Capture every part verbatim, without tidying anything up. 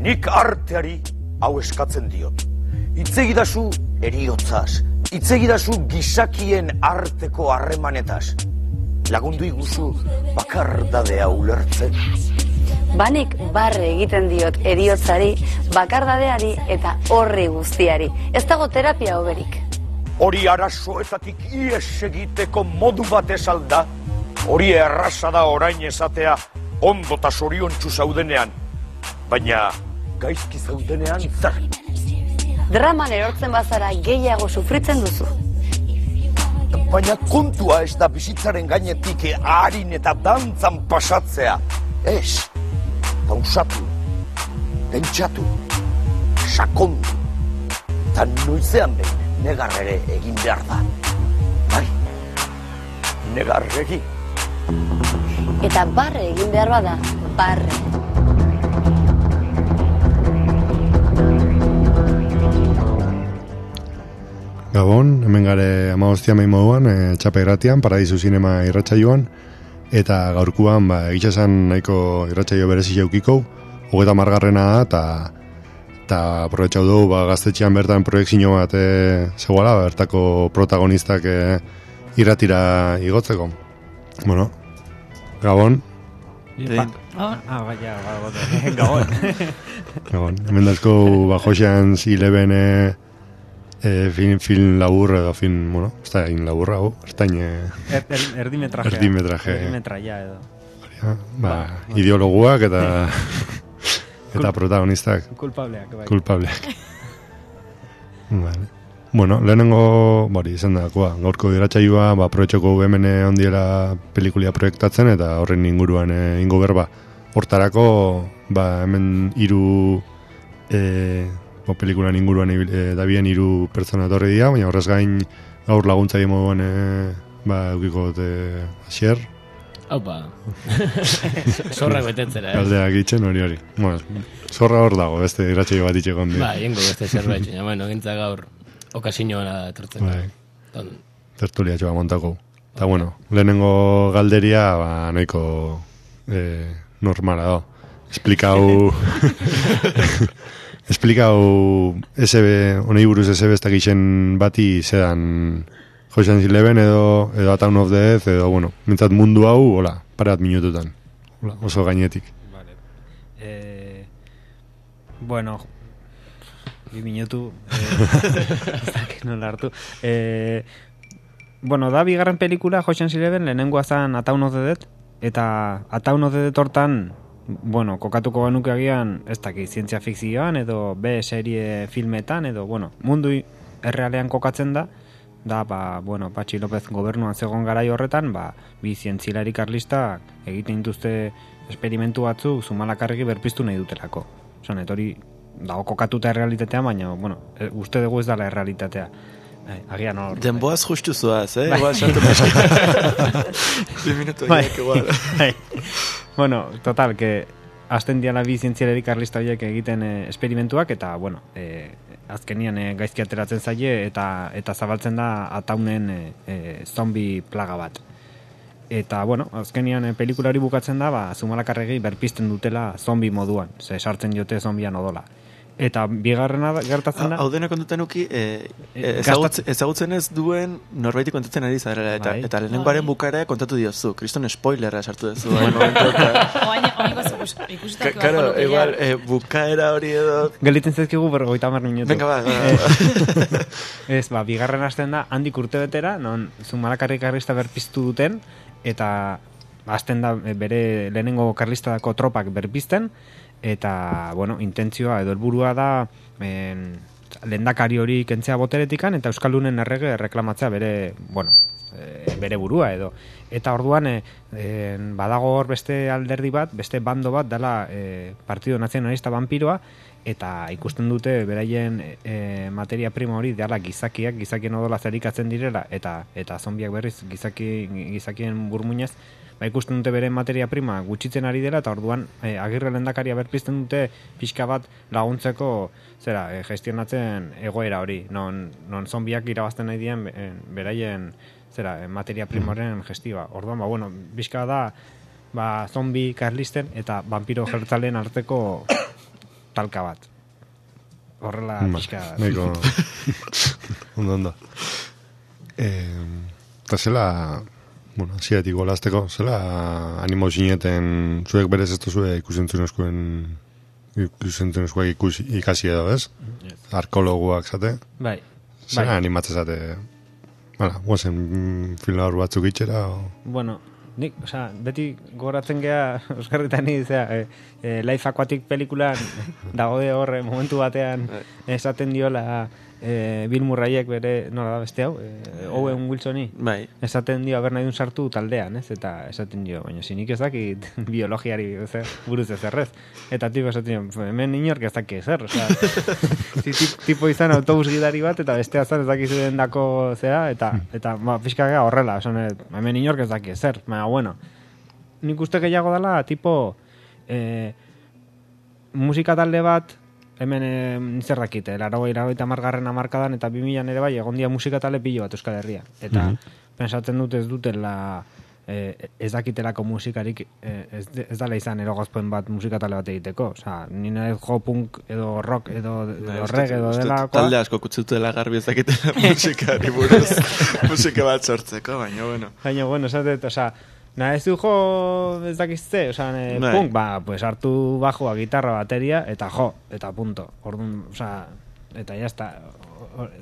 nik arteari hau eskatzen diot. Itzegidazu eriotzaz, itzegidazu gizakien arteko harremanetaz. Lagundu iguzu bakardadea ulertzen. Banik barre egiten diot eriotzari, bakardadeari eta horri guztiari. Ez dago terapia hoberik. Hori arazoetatik ies egiteko modu bat esalda, hori erraza da orain esatea ondo eta zoriontsu zaudenean, baina gaizki zaudenean zer. Draman erortzen bazara gehiago sufritzen duzu. Baina kontua ez da bizitzaren gainetik harin eta dantzan pasatzea. Ez, pausatu, pentsatu, sakondu, eta noizean behin negar ere egin behar da. Bai, negar egin. Eta barre egin behar bada, barre. Gabon, hemen gare amagostia mehi moduan, e, Txape Gratian, Paradisu Zinema irratsaioan, eta gaurkuan, ba, egitxasan nahiko irratsaio berezi jaukiko, hogeta margarrena da, eta eta aprobetxau dugu, ba, gaztetxean bertan proiektzio bat e, zegoela, bertako protagonistak e, irratira igotzeko. Bueno, Gabon. Ba, ah, baina, Gabon. Gabon, hemen dazko, ba, Josean Eleven e, E, film, film labur edo film, bueno, ez da egin laburra, hau, ertain... Er, er, erdimetraje. Erdimetraje. Erdimetraia edo. Ja, ba, ba, ideologuak eta... eta protagonistak. Kulpableak, bai. Kulpableak. Vale. Bueno, lehenengo, bori, izan dakoa, gaurko irratsaioa, ba, aprobetxoko hemen ondiela pelikulia proiektatzen, eta horren inguruan e, ingo berba. Hortarako, ba, hemen hiru... E, o pelikulan inguruan e, dabien hiru pertsona etorri dira, baina horrez gain gaur laguntzaile moduan e, ba, eukiko dute Asier. Aupa. Zorrak betetzera, eh? Galdeak itxen hori hori. Bueno, zorra hor dago, beste irratsaio bat itxeko handi. Ba, jengo beste zerbait, baina, bueno, gintza gaur okasinioa etortzen. Bai. Ton... Tertulia txoa montako. Eta, bueno, lehenengo galderia, ba, nahiko eh, normala da. Esplikau... Esplikau S B, honei buruz S B ez dakixen bati zedan Ocean's Eleven edo, edo A Town of the Dead edo, bueno, mintzat mundu hau, hola, parat minututan. Hola, oso gainetik. Vale. Eh, bueno, bi minutu, eh, ez dakit nola hartu. Eh, bueno, da bigarren pelikula Ocean's Eleven, lehenengoa zan A Town of the Dead, eta A Town of the Dead hortan, bueno, kokatuko genuke agian, ez daki, zientzia fikzioan, edo B serie filmetan, edo, bueno, mundu errealean kokatzen da, da, ba, bueno, Patxi López gobernuan zegoen garai horretan, ba, bi zientzilari karlista egiten dituzte esperimentu batzu Zumalakarregi berpiztu nahi dutelako. Osan, etori dago kokatuta errealitatea, baina, bueno, uste dugu ez dala errealitatea. Ai, agian hor. Denboaz justu zuaz, eh? Bai. Igual xantu pasak. Bi minutu horiek igual. Bai. Bueno, total, que azten diala bi zientzialeri karlista horiek egiten e, esperimentuak, eta, bueno, e, azkenian e, gaizki ateratzen zaie, eta eta zabaltzen da ataunen e, e, zombi plaga bat. Eta, bueno, azkenian e, pelikula hori bukatzen da, ba, Zumalakarregi berpizten dutela zombi moduan, ze sartzen diote zombian odola. Eta bigarrena gertatzen da... Hau dena kontutan uki, e, ezagutz, ezagutzen ez duen norbaiti kontatzen ari zarela, eta, bai. Eta lehenengoaren bukaera kontatu diozu, kriston spoilerra sartu duzu. Karo, igual, e, bukaera hori edo... Gelditzen zezkigu bergoita mar minutu. Venga, ba, ba. Ez, ba, bigarren hasten da, handik urte betera, non Zumalakarregi karlista berpiztu duten, eta hasten da bere lehenengo karlistadako tropak berpizten, eta, bueno, intentzioa edo helburua da en, lehendakari hori kentzea boteretikan eta Euskaldunen errege reklamatzea bere, bueno, e, bere burua edo. Eta orduan e, e, badago hor beste alderdi bat, beste bando bat dela e, Partido Nazionalista Vampiroa, eta ikusten dute beraien e, materia prima hori dela gizakiak, gizakien odola zerikatzen direla, eta eta zombiak berriz gizaki, gizakien burmuinez, ba, ikusten dute bere materia prima gutxitzen ari dela, eta orduan e, Agirre lehendakaria berpizten dute pixka bat laguntzeko zera, e, gestionatzen egoera hori, non, non zombiak irabazten nahi dien e, beraien zera, e, materia primoren gestioa. Orduan, ba, bueno, pixka da ba, zombi karlisten eta vampiro jertzalen arteko talka bat. Horrela pixka... Neko... ondo, ondo. Eta zela... Bueno, ziatik golazteko, zela animo zineten zuek berez ez duzue ikusentzunezkoen ikusentzunezkoak ikus, ikasi edo, ez? Yes. Arkologuak zate? Bai. Zela bai. animatzen zate... Bara, guazen film hor batzuk itxera, o... Bueno... Nik, osea, beti goratzen gea Oskarritan ni, zera, e, e, Life Aquatic pelikulan dagode horre momentu batean esaten diola e, Bill Murrayek bere, nola da beste hau, e, Owen Wilsoni, bai. esaten dio haber nahi dun sartu taldean, ez? Eta esaten dio, baina zinik ez dakit biologiari ze, buruz ez errez. Eta tipo esaten dio, hemen inork ez daki ezer, osea, tipo izan autobus gidari bat, eta bestea zan ez daki zuen dako zera, eta, eta ba, pixkagea horrela, esan, hemen inork ez daki ezer, baina, bueno, nik uste gehiago dela, tipo, eh, musika talde bat, hemen e, zer dakite, larogei, larogei tamargarren amarkadan, eta bimilan ere bai, egon dia musika talde pilo bat Euskal Herria. Eta mm-hmm. pensatzen dut ez dutela, e, ez dakitelako musikarik, e, ez, ez dala izan erogazpen bat musika talde bat egiteko. Osa, nina ez jo punk, edo rock, edo, edo reg, edo delakoa. Talde asko kutzutela garbi ez dakitela musikari buruz, musika bat sortzeko, baina bueno. Baina bueno, esatet, osa, na, ez du jo, ez dakizte, oza, e, punk, ba, pues hartu bajoa, gitarra, bateria, eta jo, eta punto. Orduan, oza, eta jazta.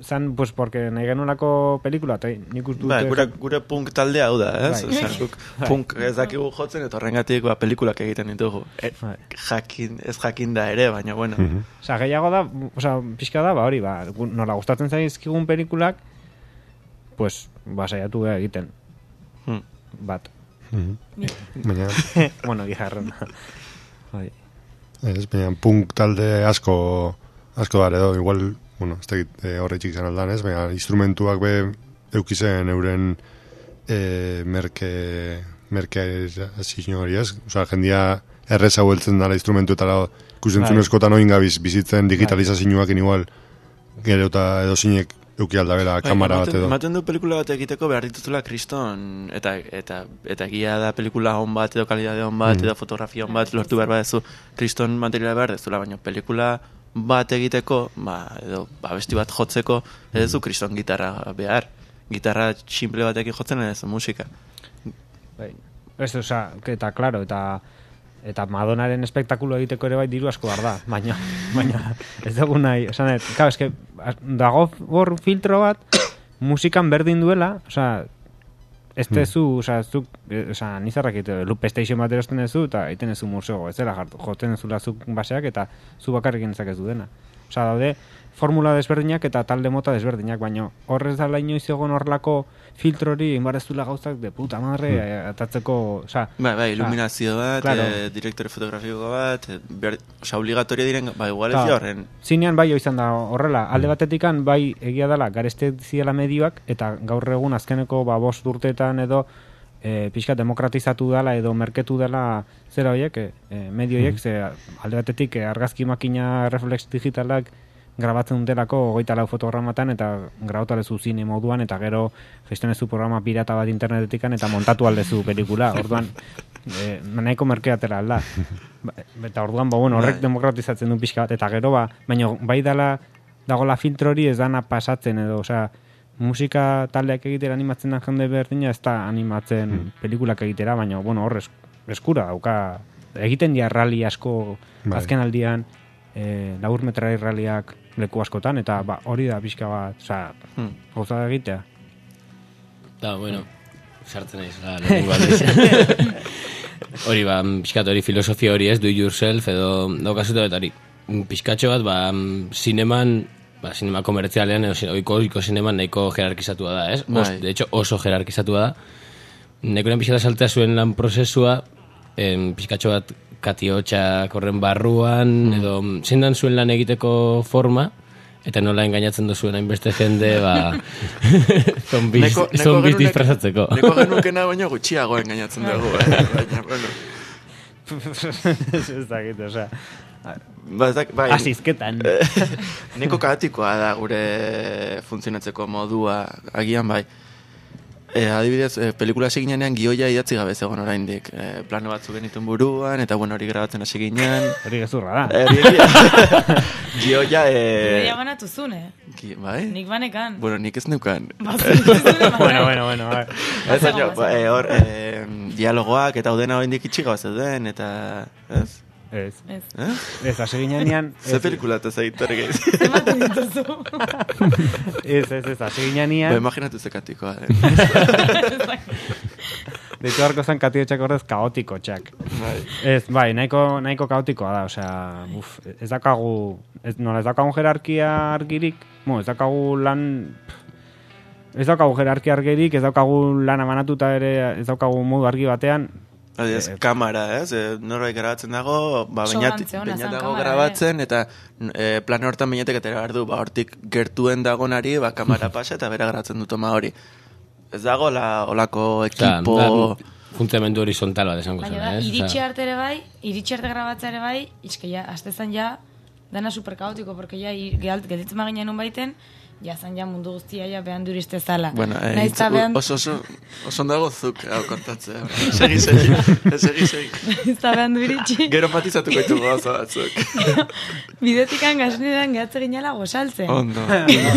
Zan, pues, porque nahi genulako pelikula, eta nik uste dute... Ba, gure, gure punk taldea hau da, ez? Bai. Oza, punk ez dakigu jotzen, eta horrengatik ba, pelikulak egiten ditugu. E, jakin, ez jakin da ere, baina, bueno. Mm-hmm. Oza, gehiago da, oza, pixka da, ba, hori, ba, nola gustatzen zaizkigun pelikulak, pues, ba, saiatu egiten. Hmm. Bat. Mm-hmm. Baina... bueno, gijarren. Ez, baina punk talde asko asko dara edo, igual, bueno, ez da horretxik izan aldan ez, baina instrumentuak be eukizen euren e, merke merke azizio hori ez, oza, jendia errez hau heltzen dara instrumentuetara ikusentzunezkotan oin gabiz bizitzen digitalizazioak igual gero eta edo zinek euki aldabela kamara bat edo. Maten du pelikula bat egiteko behar dituzula kriston, eta, eta, eta egia da pelikula hon bat, edo kalidade hon bat, mm. edo fotografia hon bat, lortu behar badezu kriston materiala behar dezula, baina pelikula bat egiteko, ba, edo abesti bat jotzeko, ez du kriston gitarra behar. Gitarra simple batekin jotzen ez musika. Bai. Ez, oza, eta, klaro, eta eta Madonaren espektakulo egiteko ere bai diru asko behar da, baina, baina ez dugu nahi, esan dut, claro, eske, dago hor filtro bat, musikan berdin duela, oza, ez tezu, oza, zuk, oza, nizarrak egite, loop station bat erosten ezu, eta egiten ezu museo, ez dela jartu, joten ezula zuk baseak, eta zu bakarrik entzak ez du dena. Oza, daude, formula desberdinak eta talde mota desberdinak, baina horrez da inoiz egon horrelako filtrori inbareztula gauzak de puta madre mm. atatzeko, oza... Bai, bai, iluminazio bat, claro. e, direktore fotografiko bat, oza, obligatoria diren, bai, igual ez da horren. Zinean bai izan da horrela, alde batetikan bai egia dela gareste ziela medioak, eta gaur egun azkeneko ba, bost urteetan edo e, pixka demokratizatu dela edo merketu dela zera horiek, e, medio horiek, mm. ze alde batetik e, argazki makina reflex digitalak grabatzen dutelako hogeita lau fotogramatan eta grabatu aldezu zine moduan eta gero gestionezu programa pirata bat internetetikan eta montatu aldezu pelikula. Orduan, e, nahiko merkeatera alda. Eta orduan, ba, bueno, horrek demokratizatzen du pixka bat, eta gero, ba, baina bai dala dagola filtrori ez dana pasatzen edo, osea, musika taldeak egitera animatzen da jende berdina ez da animatzen mm. pelikulak egitera, baina, bueno, horrez eskura, dauka, egiten dia rally asko bai. Azken aldian, e, labur metrai ralliak leku askotan, eta ba, hori da pixka bat, oza, hmm. gauza da egitea. Da, bueno, sartzen naiz, la, lehenengo aldiz. Hori, ba, pixkat hori filosofia hori ez, do it yourself, edo daukasuta eta hori. Pixkatxo bat, ba, zineman, ba, zinema komertzialean, edo oiko, oiko zineman nahiko jerarkizatua da, ez? Os, de hecho, oso jerarkizatua da. Nekoren pixkata saltea zuen lan prozesua, em, pixkatxo bat, katiotxak horren barruan, mm. edo zindan zuen lan egiteko forma, eta nola engainatzen duzuen hainbeste jende, ba, zombiz, neko, neko zombiz disfrazatzeko. Neko genukena baino gutxiago engainatzen dugu, eh? Baina, bueno. Ez dakit, osea. Ba, bai, asizketan. Neko kaotikoa da gure funtzionatzeko modua, agian bai. E, adibidez, e, pelikula hasi ginean gioia idatzi gabe zegoen oraindik. E, plano batzuk genituen buruan, eta bueno, hori grabatzen hasi ginen. Hori gezurra da. E, gioia... E... Gioia banatu zune. Gi, bai? Nik banekan. Bueno, nik ez neukan. bueno, bueno, bueno. Ez baina, e, hor, e, dialogoak eta udena oraindik itxiga zeuden, eta... Ez? Ez. Ez. Eh? Ez, hasi ginean... Ze pelikula eta zaitare gehiz. Zematen dituzu. Ez, ez, ez, hasi ginean... Ba, imaginatu ze katikoa. Deitu harko zen katiotxak horrez kaotiko txak. Bai. Ez, bai, nahiko, nahiko kaotikoa da, osea, uf, ez dakagu, ez, nola, ez dakagun jerarkia argirik, mo, ez dakagu lan, ez dakagu jerarkia argirik, ez dakagu lan amanatuta ere, ez dakagu modu argi batean. Adiz, Eh, kamera, ez? E, norbait grabatzen dago, ba, bainat, Sobrantze ona bainat zen dago kamera, grabatzen, eta e, plano hortan bainatek atera behar du, ba, hortik gertuen dagonari, ba, kamera pasa eta bera grabatzen du toma hori. Ez dago, la, olako ekipo... Da, funtzionamendu horizontal bat esango Baina zen, da, ez? iritsi arte ere bai, iritsi arte grabatzea ere bai, izke ja, aztezan ja, dana superkaotiko, porque ja, gelditzen maginen nun baiten, ja, zan ja mundu guztia ja behan duriste zala. Bueno, eh, Naiz ta behan... oso, oso, oso dago zuk, hau kontatzea. Segi, segi, segi, segi. Naiz ta behan duritxi. Gero matizatuko ditu gauza batzuk. Bidetikan gasneran gehatze ginala gozaltzen. Ondo.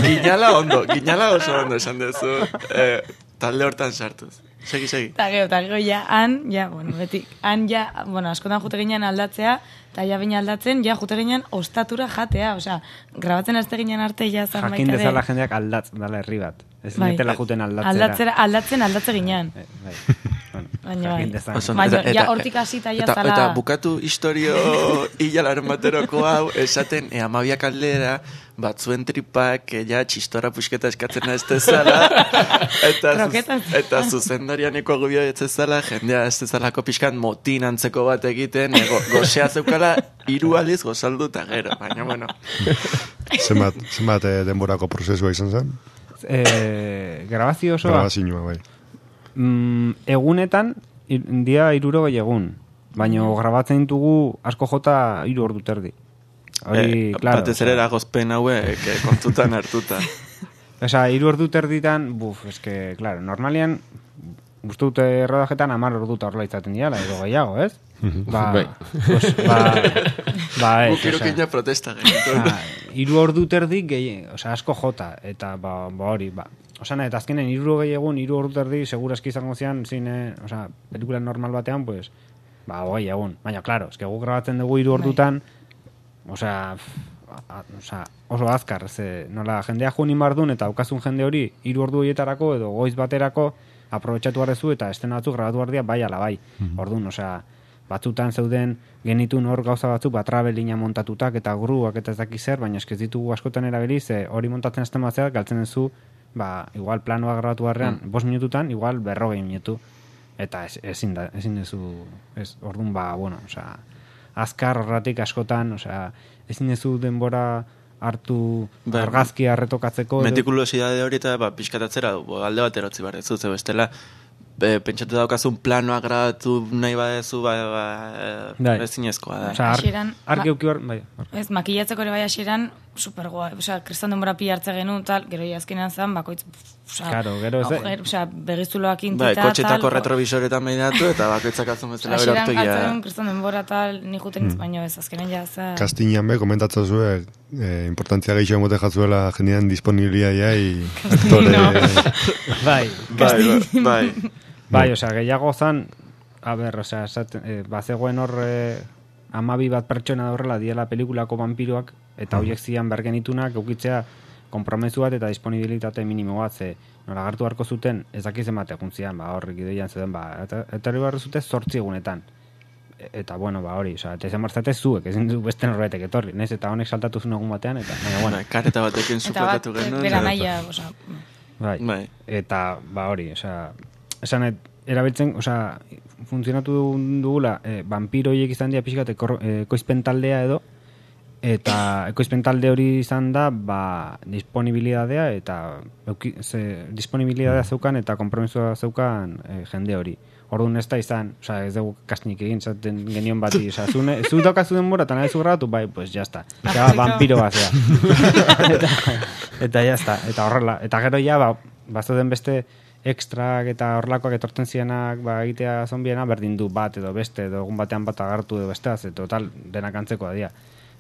Ginala ondo, ginala oso ondo esan duzu. Eh, talde hortan sartuz. Segi, segi. Eta gero, eta gero, ja, han, ja, bueno, beti, han, ja, bueno, askotan jute ginen aldatzea, eta ja bina aldatzen, ja, jute ginen ostatura jatea, osea, grabatzen azte ginen arte, ja, zan Jakin baita dezala jendeak aldatzen dala herri bat. Ez Bai. netela juten aldatzera. Aldatzera, aldatzen aldatze ginen. Eh, bai. Bueno, Baina bai. jakin dezala. Oso, Baina, eta- ja, eta- hortik hasita ja eta, zala... eta bukatu historio hilalaren bateroko hau, esaten, e, amabiak aldera, batzuen tripak, e, ja, txistora pusketa eskatzen ez dezala, eta, zuz, Kroketas. eta zuzendarianeko agubio ez dezala, jendea ez dezalako pixkan motin antzeko bat egiten, e, go, gozea zeukala, hiru aldiz gozaldu eta gero, baina, bueno. Zenbat, zenbat eh, denborako prozesua izan zen? Eh, grabazio osoa, Grabazioa, bai. mm, egunetan, ir, dia irurogei egun. Baina grabatzen ditugu asko jota hiru ordu terdi. Hori, Eh, claro. batez ere eragozpen hauek eh, kontutan hartuta. Osea, hiru ordu terditan, buf, eske, claro, normalian, uste dute rodajetan amar orduta horrela izaten diala, edo gehiago, ez? Ba, Bai. pues, ba, ba, ez, Guk osea, irukina protesta genituen. osea, hiru ordu terdi gehi, osea, asko jota, eta ba, ba hori, ba. Osea, eta azkenen hiru gehi egun, hiru ordu terdi, segurazki izango zian, zine, osea, pelikula normal batean, pues, ba, hogei egun. Baina, claro, eske guk grabatzen dugu hiru ordutan, osea, a- osea, oso azkar, ze, nola, jendea juin inbardun, eta aukazun jende hori, hiru ordu horietarako, edo goiz baterako, aprobetxatu arrezu, eta estena batzuk grabatu ardia, bai ala bai. Orduan, osea, batzutan zeuden genitun hor gauza batzuk, ba, trabelina montatutak, eta gruak, eta ez daki zer, baina eskez ditugu askotan erabili, ze hori montatzen azten batzea, galtzen duzu, ba, igual planoa grabatu arrean, mm. bost minututan, igual berrogei minutu. Eta ez, ezin da, ezin dezu, ez, orduan, ba, bueno, osea, azkar horratik askotan, osea, ezin dezu denbora hartu Ba, argazkia retokatzeko. edo- Metikulosidade hori eta ba, pixkatatzera bo, alde bat erotzi behar ez ze bestela be, pentsatu daukazun planoa grabatu nahi badezu ba, ba, Bai. e, ezinezkoa da. Osea, ar, Hasieran, argi ma- euki hor, bai, ar- Ez, makillatzeko ere bai hasieran super guai. Osea, kriston denbora pi hartze genuen, tal, gero ja azkenean zan, bakoitz, osea, Claro, gero ez- agujer, osea, begizuloak intita, Bai, tal, kotxetako jo. retrovisoretan behiratu eta bakoitzak atzun bezala Hasieran berartu hartzen ja. genuen kriston denbora, tal, ni juten mm. baino ez, azkenean ja, za... Kastinan be, komentatzen zuen, eh, importantzia gehiago emote jatzuela jendean disponibilitatea i aktore... bai, Bai, bai, bai. bai, osea, gehiago zan, a ber, osea, esaten, eh, bazegoen hor eh, amabi bat pertsona da horrela diela pelikulako vampiroak, eta horiek zian bergenitunak eukitzea konpromesu bat eta disponibilitate minimo bat, ze nola hartu beharko zuten, ez dakiz emate guntzian, ba, horrik ideian zeden, ba, eta, eta hori behar zute zortzi egunetan. E- Eta, bueno, ba, hori, osea, eta izan barzate zuek, ezin du beste norbaitek etorri, nez, eta honek saltatu zuen egun batean, eta, baina, bueno, Bai, kareta batekin Eta bat, suportatu genuen. bera eta- naia, osea, bai. Bai. Eta, ba hori, osea, esanet, erabiltzen, osea, funtzionatu dugula, e, vampiroiek izan dira pixkat ekor- e, ekoizpen taldea edo, eta ekoizpen talde hori izan da, ba, disponibilidadea, eta euki, ze, disponibilidadea zeukan, eta kompromisua zeukan e, jende hori. Orduan ez da izan, osea, ez dugu kastinik egin, zaten genion bati, osea, zu, ne, zu daukazu denbora, eta nahi zu grabatu, bai, pues ya está. Osea, vampiro bat zea. eta, eta ya está, eta horrela. Eta gero ja, ba, bazuden beste ekstrak eta horlakoak etortzen zienak ba, egitea zombiena, berdin du bat edo beste, edo egun batean bat agartu edo besteaz, eta total, denak antzekoa dira.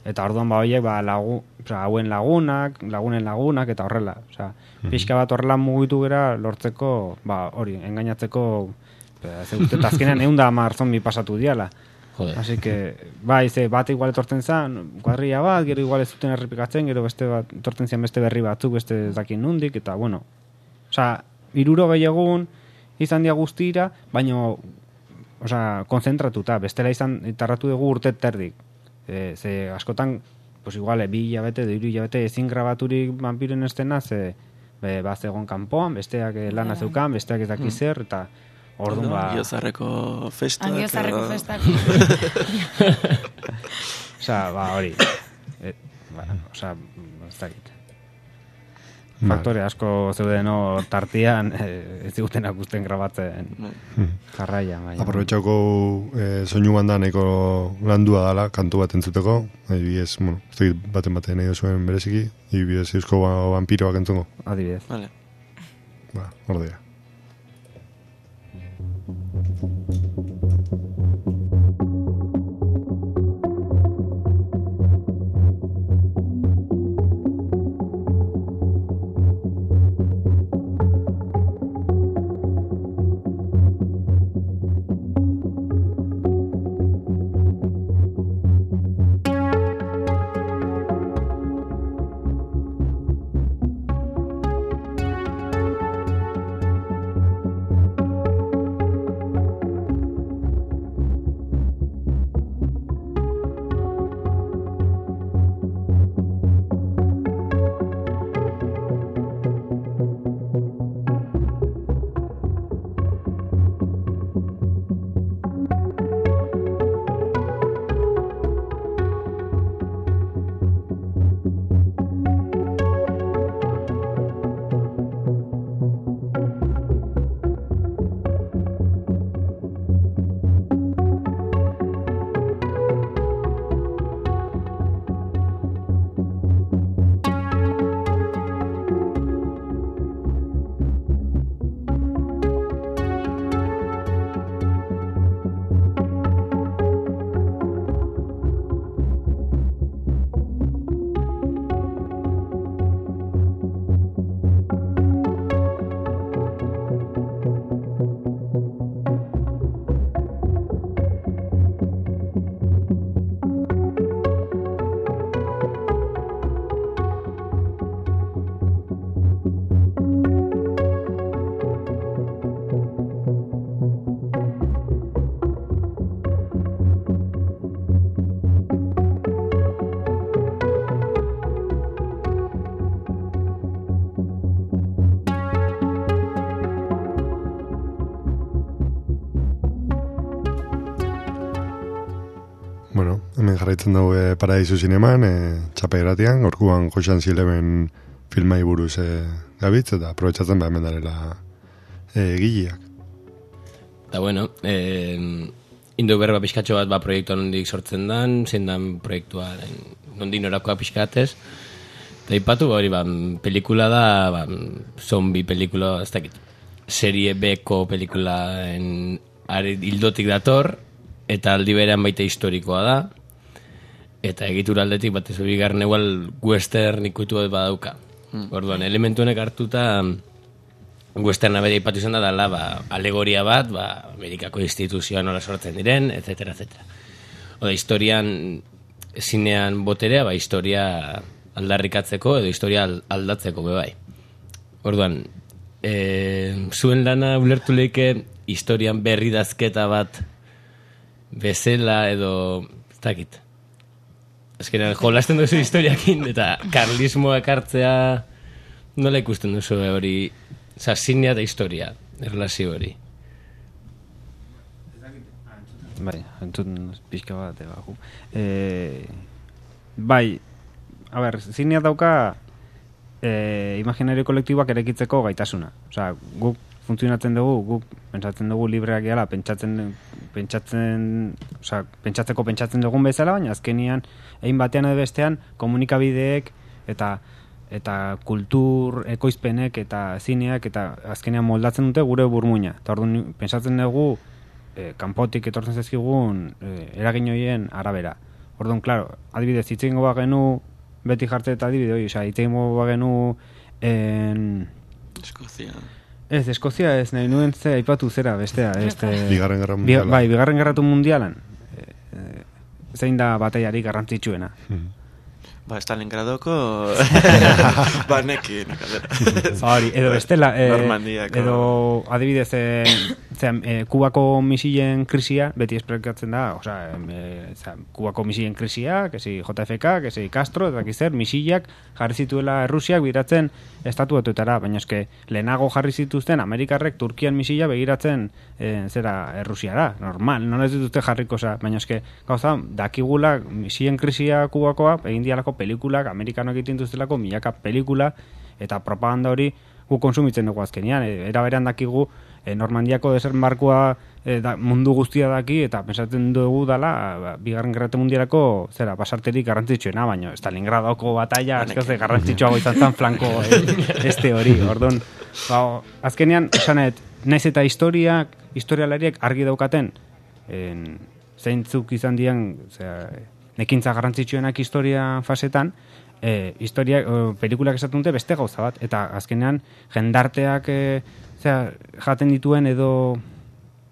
Eta orduan ba horiek ba, lagu, oza, hauen lagunak, lagunen lagunak, eta horrela. Oza, mm-hmm. Pixka bat horrela mugitu gara lortzeko, ba hori, engainatzeko, zegoet, eta azkenean egun da hamar zombi pasatu diala. Joder. Así que, bai, ze bat igual etortzen zen, kuadrilla bat, gero igual ez zuten errepikatzen, gero beste bat, etortzen zen beste berri batzuk, beste dakin nundik, eta bueno. Osa, iruro egun izan dia guztira, baina, osa, konzentratuta, bestela izan, tarratu dugu urte terdik. E, ze askotan, pues igual, e, bi hilabete, edo hiru hilabete ezin grabaturik vampiren estena, ze, be, ba, zegoen kanpoan, besteak lana zeukan, besteak ez dakiz zer, eta orduan ba... Angiozarreko festak. Angiozarreko festak. Osa, ba, hori. E, ba, osa, ez dakit. Faktore asko zeuden hor tartian, e, ez zigutenak guztien grabatzen jarraia. Aprobetxako e, soinu banda nahiko landua dala, kantu bat entzuteko, adibidez, bueno, ez dakit baten baten nahi zuen bereziki, adibidez eusko vampiroak entzungo. Adibidez. Vale. Ba, ordea. Bueno, hemen jarraitzen dugu e, Paradisu Zineman, e, txapa irratian, gorkuan Joxan Zileben filmai buruz e, gabitz, eta aprobetsatzen ba hemen darela e, gileak. Eta bueno, eh, indu berba pixkatxo bat ba proiektua nondik sortzen dan, zein dan proiektua nondik norakoa pixkatez, eta ipatu hori ba, pelikula da, ba, zombi pelikula, ez dakit, serie B-ko pelikula en, are, hildotik dator, eta aldi berean baita historikoa da, eta egitura aldetik bat ez bigarren egual western ikutu bat badauka. Mm. Orduan, elementu honek hartuta westerna bere ipatu izan da dala, ba, alegoria bat, ba, Amerikako instituzioa nola sortzen diren, etcétera, etcétera. Oda, historian, zinean boterea, ba, historia aldarrikatzeko edo historia aldatzeko bebai. Orduan, e, zuen lana ulertu leike historian berri dazketa bat bezala edo ez dakit. Azkenean jolasten duzu historiakin eta karlismoa ekartzea nola ikusten duzu hori, oza, zinea eta historia, erlazio hori. Bai, entzun pixka bat ebagu. E, bai, a ber, zinea dauka e, imaginario kolektiboak erekitzeko gaitasuna. Osea, guk funtzionatzen dugu, guk pentsatzen dugu libreak gehala, pentsatzen, pentsatzen, osea, pentsatzeko pentsatzen dugun bezala, baina azkenian, egin batean edo bestean, komunikabideek eta eta kultur ekoizpenek eta zineak eta azkenean moldatzen dute gure burmuina. Eta orduan pentsatzen dugu e, kanpotik etortzen zaizkigun e, eragin horien arabera. Orduan, claro, adibidez, hitz egingo bagenu beti jartze eta adibide hori, osea, hitz egingo bagenu en... Eskozia. Ez, Eskozia ez, nahi nuen ze aipatu zera, bestea. Este, Bigarren Gerra Mundialan. Bi, bai, Bigarren Gerratu Mundialan. E, e, zein da bataiarik garrantzitsuena. Mm. Ba, Stalingradoko banekin, hori, edo bestela, eh, Normandiako. edo adibidez, eh, zean, eh, Kubako misilen krisia, beti esplikatzen da, osea, eh, zean, Kubako misilen krisia, kesi J F K, kesi Castro, eta zer, misilak jarri zituela Errusiak begiratzen estatu batuetara, baina eske lehenago jarri zituzten Amerikarrek Turkian misila begiratzen eh, zera Errusiara, normal, non ez dituzte jarriko, osea, baina eske gauza, dakigula misilen krisia Kubakoa, egin dialako pelikulak, amerikanoak egiten duztelako milaka pelikula, eta propaganda hori gu konsumitzen dugu azkenean, e, era berean dakigu e, Normandiako desertmarkoa e, da, mundu guztia daki, eta pensatzen dugu dala, ba, Bigarren Gerrate Mundialako zera, basarterik garrantzitsuena, baina Stalingradoko batalla, azkaze garrantzitsuago izan zen flanko e, este hori, orduan, ba, azkenean, esanet, naiz eta historiak, historialariek argi daukaten, en, zeintzuk izan dian, zera, nekintza garrantzitsuenak historia fasetan, e, historia, e, pelikulak esaten dute beste gauza bat, eta azkenean jendarteak e, zera, jaten dituen edo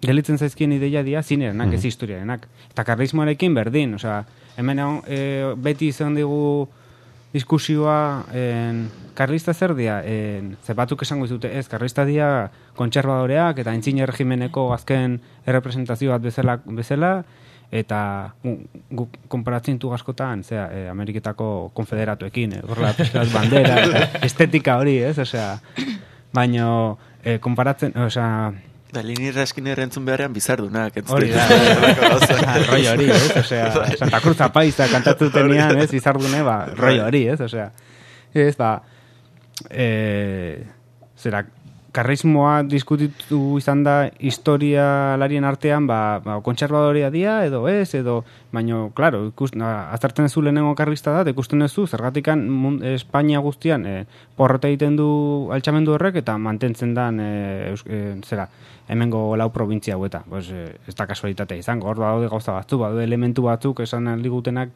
gelitzen zaizkien ideia dira zinerenak, mm-hmm. ez historiarenak. Eta karlismoarekin berdin, osea, hemen e, beti izan digu diskusioa en, karlista zer dia, en, ze batzuk esango izute, ez, karlista dia kontserbadoreak eta aintzine regimeneko azken errepresentazio bat bezala, bezala eta gu konparatzen du askotan, zera, e, Ameriketako konfederatuekin, e, gorla peskat bandera, eta estetika hori, ez, osea, baino, e, konparatzen, osea, da, lini raskin errentzun beharrean bizardunak, ez hori da, roi hori, ez, osea, Santa Cruz Apaiza kantatzutenean, ez, bizardune, ba, roi hori, ez, osea, ez, ba, e, zera, karrismoa diskutitu izan da historialarien artean, ba, ba kontserbadorea dia, edo ez, edo, baino, klaro, ikusten, aztertzen zu lehenengo karlista da, ikusten ez du, zergatikan mund, Espainia guztian, e, porrota egiten du altxamendu horrek, eta mantentzen dan, e, e, zera, hemengo lau probintzia haueta, pues, e, ez da kasualitatea izango, hor daude gauza batzu, daude elementu batzuk, esan aldigutenak,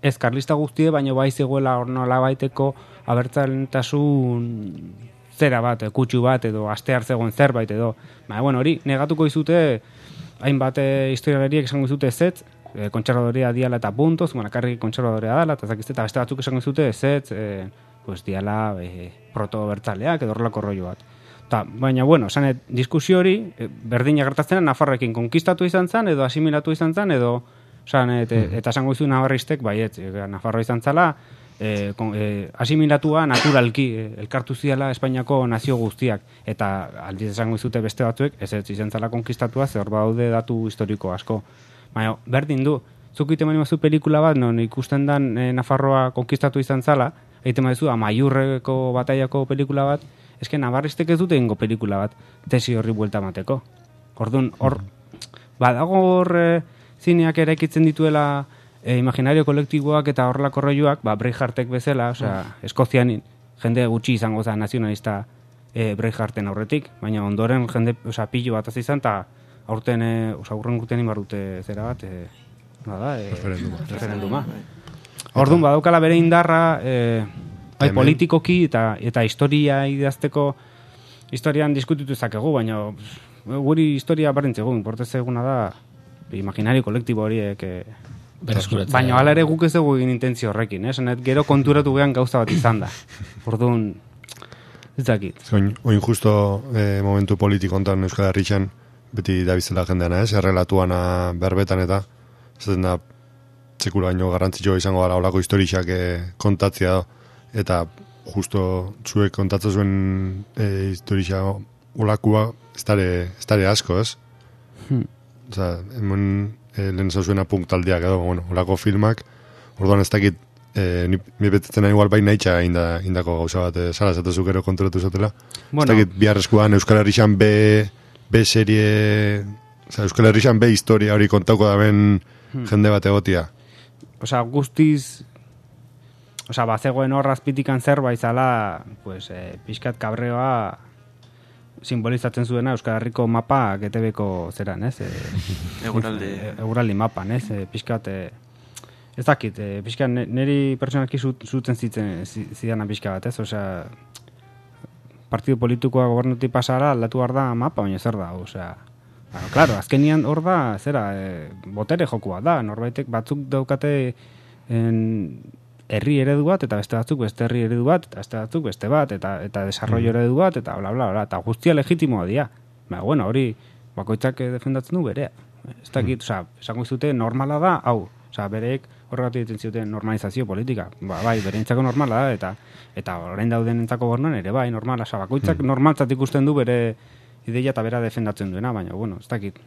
ez karlista guztie, baino bai zegoela hor nola baiteko abertzalentasun zera bat, kutsu bat, edo aste hartzegoen zerbait, edo, baina, bueno, hori, negatuko izute, hainbat e, historialariek esango izute ezetz, e, kontserbadorea diala eta puntoz, manakarri kontserbadorea dala, eta zakizte, eta beste batzuk esango izute ezetz, e, pues diala e, proto-bertzaleak, edo horrelako rollo bat. Ta, baina, bueno, sanet, diskusio hori, e, berdina gertatzen Nafarrekin konkistatu izan zen, edo asimilatu izan zen, edo, sanet, e, eta esango izu nabarristek, baiet, e, Nafarroa izan zala, E, kon, e, asimilatua naturalki e, elkartu ziala Espainiako nazio guztiak, eta aldiz esango izute beste batzuek ez ez izan zala konkistatua, ze hor baude datu historiko asko, baina berdin du, zuk ite manimazu pelikula bat non ikusten dan e, Nafarroa konkistatu izan zala, egiten maizu Amaiurreko bataiako pelikula bat, eske nabarristek ez dute ingo pelikula bat tesi horri buelta mateko, orduan hor badago hor e, zineak eraikitzen dituela E, imaginario kolektiboak eta horrelako rolloak, ba, Braveheartek bezala, osea, Eskozian jende gutxi izango da nazionalista e, Bravehearten aurretik, baina ondoren jende, osea, pillo bat izan, eta aurten, e, osea, aurren guten inbarrute zera bat, e, nada, e, referenduma. referenduma. Orduan, badaukala bere indarra, e, bai, politikoki eta eta historia idazteko, historian diskutitu ezakegu, baina guri historia barrentzegu, importez eguna da, imaginario kolektibo horiek, e, baina hala ere guk ez dugu egin intentzio horrekin, eh? Zanet, gero konturatu gehan gauza bat izan da. Orduan, ez dakit. Oin, oin justo eh, momentu politiko ontan Euskal Herritxan, beti dabizela jendeana, ez? Errelatuana berbetan eta, zaten da, txekula baino garrantzitsua izango gara olako historiak eh, kontatzea do. Eta justo zuek kontatzen zuen eh, historia olakua ez dare asko, ez? Hmm. Oza, hemen E, lehen zauzuena punktaldiak edo, bueno, olako filmak, orduan ez dakit, e, mi betetzen igual bai nahitxa inda, indako gauza bat, e, sala zatezuk ero konturatu zatela. Bueno. Ez dakit, biharrezkoan Euskal Herrixan B, B serie, oza, Euskal Herrixan B historia hori kontauko da ben hmm. jende bat egotia. Osa, guztiz, Osa, bazegoen hor azpitikan zerbait zala, pues, eh, pixkat kabreoa simbolizatzen zuena Euskal Herriko mapa G T B-ko zeran, ez? E, Eguraldi. E, eguraldi mapan, ez? E, pixkat, e, ez dakit, e, pixkat niri pertsonalki zuten zitzen zidana pixka bat, ez? Osea, partidu politikoa gobernutik pasara aldatu behar da mapa, baina zer da, osea... Bueno, claro, azkenian hor da, zera, e, botere jokua da, norbaitek batzuk daukate en, herri eredu bat, eta beste batzuk beste herri eredu bat, eta beste batzuk beste bat, eta eta desarrollo eredu bat, eta bla, bla, bla, eta guztia legitimoa dira. Ba, bueno, hori bakoitzak defendatzen du berea. Ez dakit, osea, esango izute normala da, hau, osea, bereek horregatik ditzen zuten normalizazio politika. Ba, bai, bereintzako normala da, eta eta orain dauden entzako gornan ere, bai, normala, osea, bakoitzak normaltzat ikusten du bere ideia eta bera defendatzen duena, baina, bueno, ez dakit.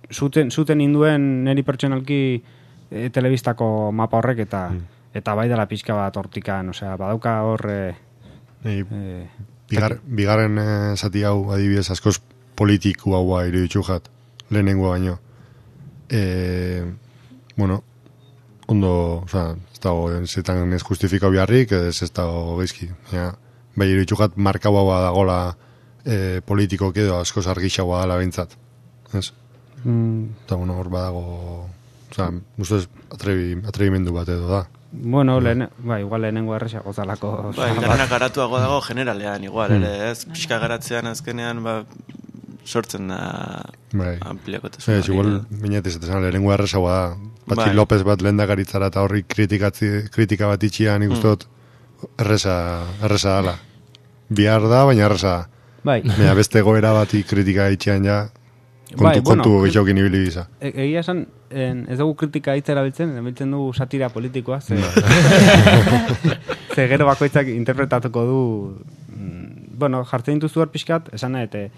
Zuten, zuten induen neri pertsonalki e, telebistako mapa horrek, eta mm. eta bai dela pixka bat hortikan, osea, badauka hor... E, e, bigar, bigarren e, zati hau adibidez askoz politiku haua iruditzu jat, lehenengo baino. E, bueno, ondo, osea, ez dago, zetan ez justifikau biharrik, ez ez dago geizki. Ja, bai iruditzu jat markau haua dagola e, politikok edo askoz argixagoa dela bintzat. Ez? Mm. Eta, bueno, hor badago... Osea, ustez atrebi, atrebimendu bat edo da. Bueno, lehen, ba, igual lehenengo errexago zalako... Ba, internet garatuago dago generalean, igual, mm. ere, ez? Pixka garatzean azkenean, ba, sortzen da bai. ampliakotasun. Ez, igual, minetez, eta zan, lehenengo errexago da. Patxi bai. López bat lehendakaritzara eta horri kritika bat itxian, ikustot, mm. erresa, erresa dala. Bihar da, baina erresa da. Bai. Baina beste goera bati kritika itxian ja, kontu, bai, bueno, kontu gixaukin ibili biza. E, egia esan, en, ez dugu kritika hitz erabiltzen, erabiltzen dugu satira politikoa, ze, ze gero bakoitzak interpretatuko du, mm, bueno, jartzen dituzu hor pixkat, esan nahi,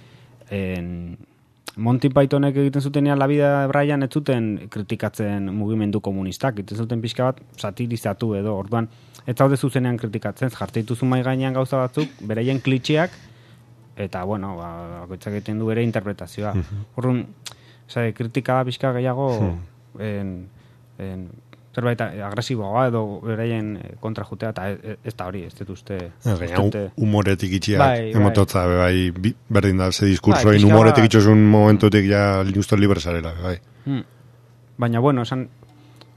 en, Monty Pythonek egiten zutenean La Vida de Brian ez zuten kritikatzen mugimendu komunistak, egiten zuten pixka bat satirizatu edo, orduan, ez zaude zuzenean kritikatzen, jartzen dituzu mai gainean gauza batzuk, beraien klitxeak, eta, bueno, ba, bakoitzak egiten du bere interpretazioa. Horren, uh-huh. kritika pixka gehiago uh-huh. en, en, zerbait agresiboa edo beraien kontra jutea, eta ez, ez da hori, ez dut uste... Humoretik itxiak, bai, emototza, bai, bai, berdin da, ze diskursoin bai, humoretik itxosun momentutik ja justo libre zarela, bai. Hmm. Baina, bueno, esan,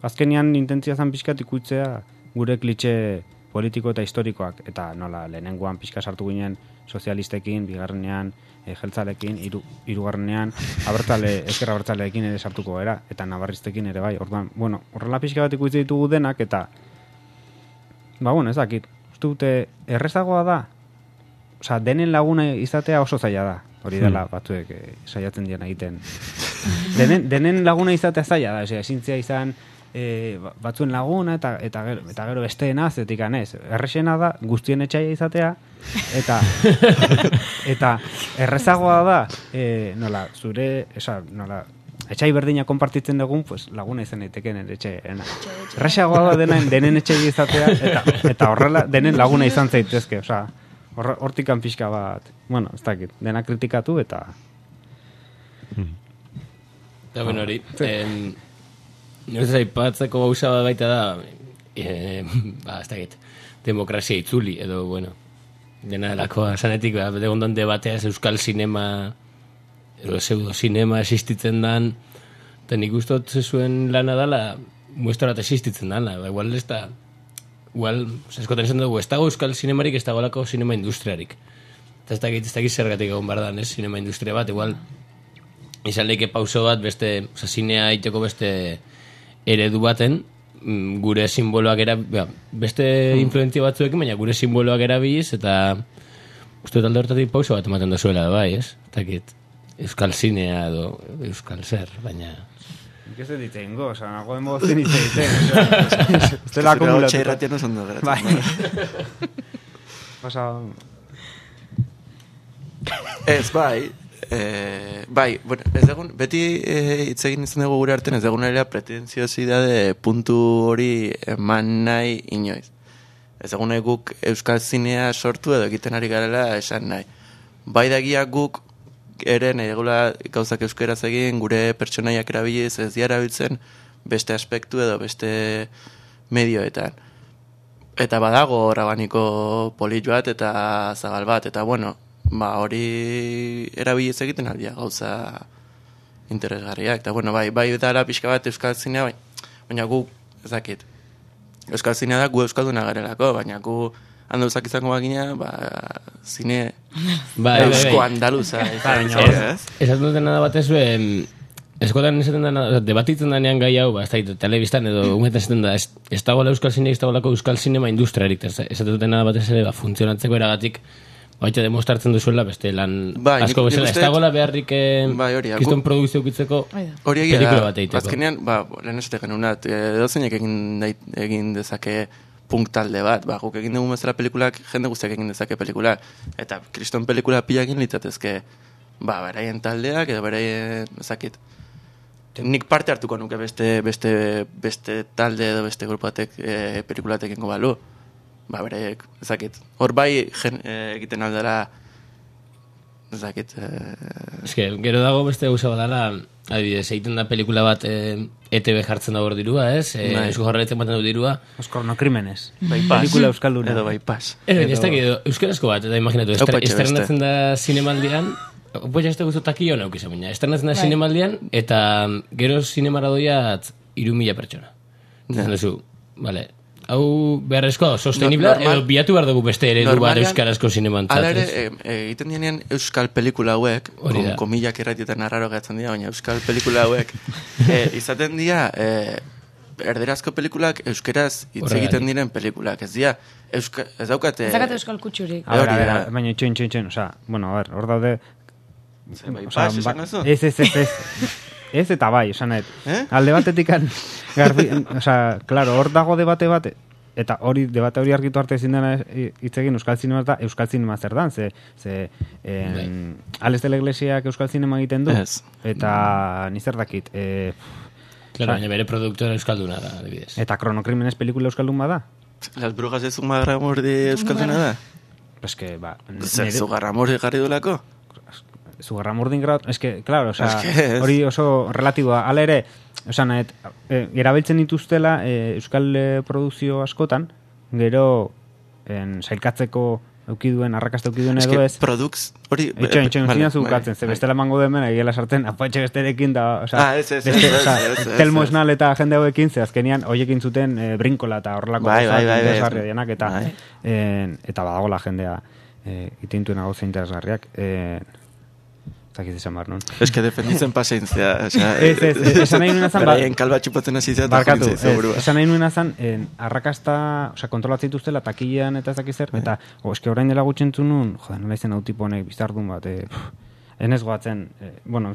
azkenian intentzia zan pixkat ikutzea gure klitxe politiko eta historikoak, eta nola, lehenengoan pixka sartu ginen sozialistekin, bigarrenean, e, jeltzalekin, iru, irugarrenean, abertzale, ezkerra abertzaleekin ere sartuko era, eta nabarriztekin ere bai. Orduan, bueno, horrela pixka bat ikuitze ditugu denak, eta, ba, bueno, ez dakit, uste dute, errezagoa da, osea, denen laguna izatea oso zaila da, hori dela batzuek e, saiatzen dian egiten. Denen, denen laguna izatea zaila da, osea, esintzia izan, E, batzuen laguna eta eta gero, eta gero besteena zetik anez. Errexena da guztien etxaia izatea eta eta errezagoa da e, nola, zure, esa, nola, etxai berdina konpartitzen dugun, pues laguna izan daiteken etxeena. Errezagoa da denen denen etxaia izatea eta eta horrela denen laguna izan zaitezke, osea, hortikan pixka bat, bueno, ez dakit, dena kritikatu eta Eta ben hori, em ez aipatzeko gauza bat baita da, e, ba, ez dakit, demokrazia itzuli, edo, bueno, dena delakoa zanetik, ba, egon debateaz euskal sinema, edo pseudo sinema existitzen dan, eta nik ustot zuen lana dala, muestrat existitzen dala, ba, igual ez da, igual, eskoten esan dugu, ez dago euskal sinemarik, ez dago lako sinema industriarik. Eta ez dakit, ez dakit zergatik egon bardan, ez, sinema industria bat, igual, izan leike pauso bat, beste, oza, zinea iteko beste eredu baten, gure simboloak era, beste influentzia batzuekin, baina gure simboloak erabiliz, eta uste talde hortatik pauso bat ematen dozuela, bai, ez? Takit, euskal zinea edo euskal zer, baina... ¿Qué se dice? Ingo, o sea, nago demo zen dice, dice. Usted la acumula. Txai ratian oso ondo geratzen. Bai. Pasa... Ez, bai, Eh, bai, bueno, ez dagoen, beti eh, hitz egin izan dugu gure artean, ez dagoen ere pretentziosidade puntu hori eman nahi inoiz. Ez dagoen guk euskal zinea sortu edo egiten ari garela esan nahi. Bai dagia guk ere nahi dugula gauzak euskeraz egin, gure pertsonaiak erabiliz ez dira erabiltzen beste aspektu edo beste medioetan. eta badago orabaniko polit bat eta zabal bat, eta bueno, ba hori erabiliz egiten aldia gauza interesgarriak, eta bueno, bai, bai dara pixka bat euskal zinea, bai, baina gu, ez dakit, euskal zinea da gu euskalduna garelako, baina gu andaluzak izango bagina, ba, zine eusko andaluza. Esaten dutena da batez, eskotan esaten dena, debatitzen danean gai hau, ba, ez da, telebistan edo umetan esaten da, ez dagoela euskal zine, ez dagoelako euskal zinema industriarik, esaten dutena batez ere, ba, funtzionatzeko eragatik, baita demostratzen duzuela, beste lan asko bezala, ez dagoela beharrik kiston produkzio ukitzeko pelikula bat egiteko. Azkenean, ba, lehen esate genunat, edozeinek egin dezake punk talde bat, ba, guk egin dugu bezala pelikulak, jende guztiak egin dezake pelikulak, eta kriston pelikula pilakin litzatezke, ba, beraien taldeak, edo beraien, ezakit, nik parte hartuko nuke beste, beste, beste talde edo beste grupatek e, pelikulatek ingo balu. Ba, berek, ezakit. Hor bai jen, e, egiten aldera, ezakit. E... Ez que, gero dago beste gauza badala, adibidez, egiten da pelikula bat e, E T B jartzen da hor dirua, ez? E, Eusko Jaurlaritzak baten du dirua. Euskal no krimenes. Bypass. Pelikula euskalduna. Edo bypass. Edo, ez da, euskarazko bat, eta imaginatu, estrenatzen da zinemaldian, pues este gusto takio no ukisa baina. Estrenatzen da zinemaldian, eta gero zinemara doiat hiru mila pertsona. Zaten duzu, vale, hau beharrezkoa, sostenible, no, edo biatu behar dugu beste eredu bat euskarazko zinemantzat. Ala ere, egiten dianean euskal pelikula hauek, kom, komillak erratietan arraro gatzen dira, baina euskal pelikula hauek, e, izaten dira, e, erderazko pelikulak euskeraz hitz egiten diren pelikulak, ez dira, euska, ez daukate... Ez daukate euskal kutsurik. A ver, a ver, baina itxoin, itxoin, itxoin, oza, bueno, a ver, hor daude... Bypass, esan eso? Ez, ez, ez, ez. Ez eta bai, esan et. Eh? Alde batetikan, garbi, oza, claro, hor dago debate bate, eta hori, debate hori argitu arte ezin dena hitz egin euskal zinema eta euskal zinema zer dan, ze, ze en, Ales de la Iglesiak euskal zinema egiten du, yes. Eta nizer dakit, e, claro, baina bere produktora euskalduna da, adibidez. Eta Kronokrimenes pelikula euskaldun bada? Las brujas de Zugarramurdi euskalduna da? Pues que, ba... Zugarramurdi garri dulako? Zugarramurdin grau... Es que, claro, o sea, hori oso relatiboa. Hala ere, o sea, nahet, e, erabiltzen dituztela e, euskal e, produkzio askotan, gero en, sailkatzeko eukiduen, arrakasta eukiduen edo ez... Es que produks... Hori... Etxoin, etxoin, zina zukatzen, ze bestela mango demen, egela sartzen, apatxe besterekin da... O sea, ah, ez, ez, ez, ez, ez. Telmo Esnal eta jende hauekin, ze azkenian hoiekin zuten e, brinkola eta horrelako... Bai, bai, bai, bai, dianak, eta, bai. En, eta badagola jendea e, itintuen gauza interesgarriak... E, Zakit esan bar, non? Ez que defenditzen pasentzia. Ez, ez, esan nahi nuen azan... Beraien kalba txupatzen azizia eta jokintzea izan. Esan nahi nuen azan, arrakasta, oza, kontrolatzen dituztela, takilean eta ez dakizer, eta, o, eske orain dela gutxentzun nun, joder, nola izan hau tipo honek, bizardun bat, e, enez goatzen, e, bueno,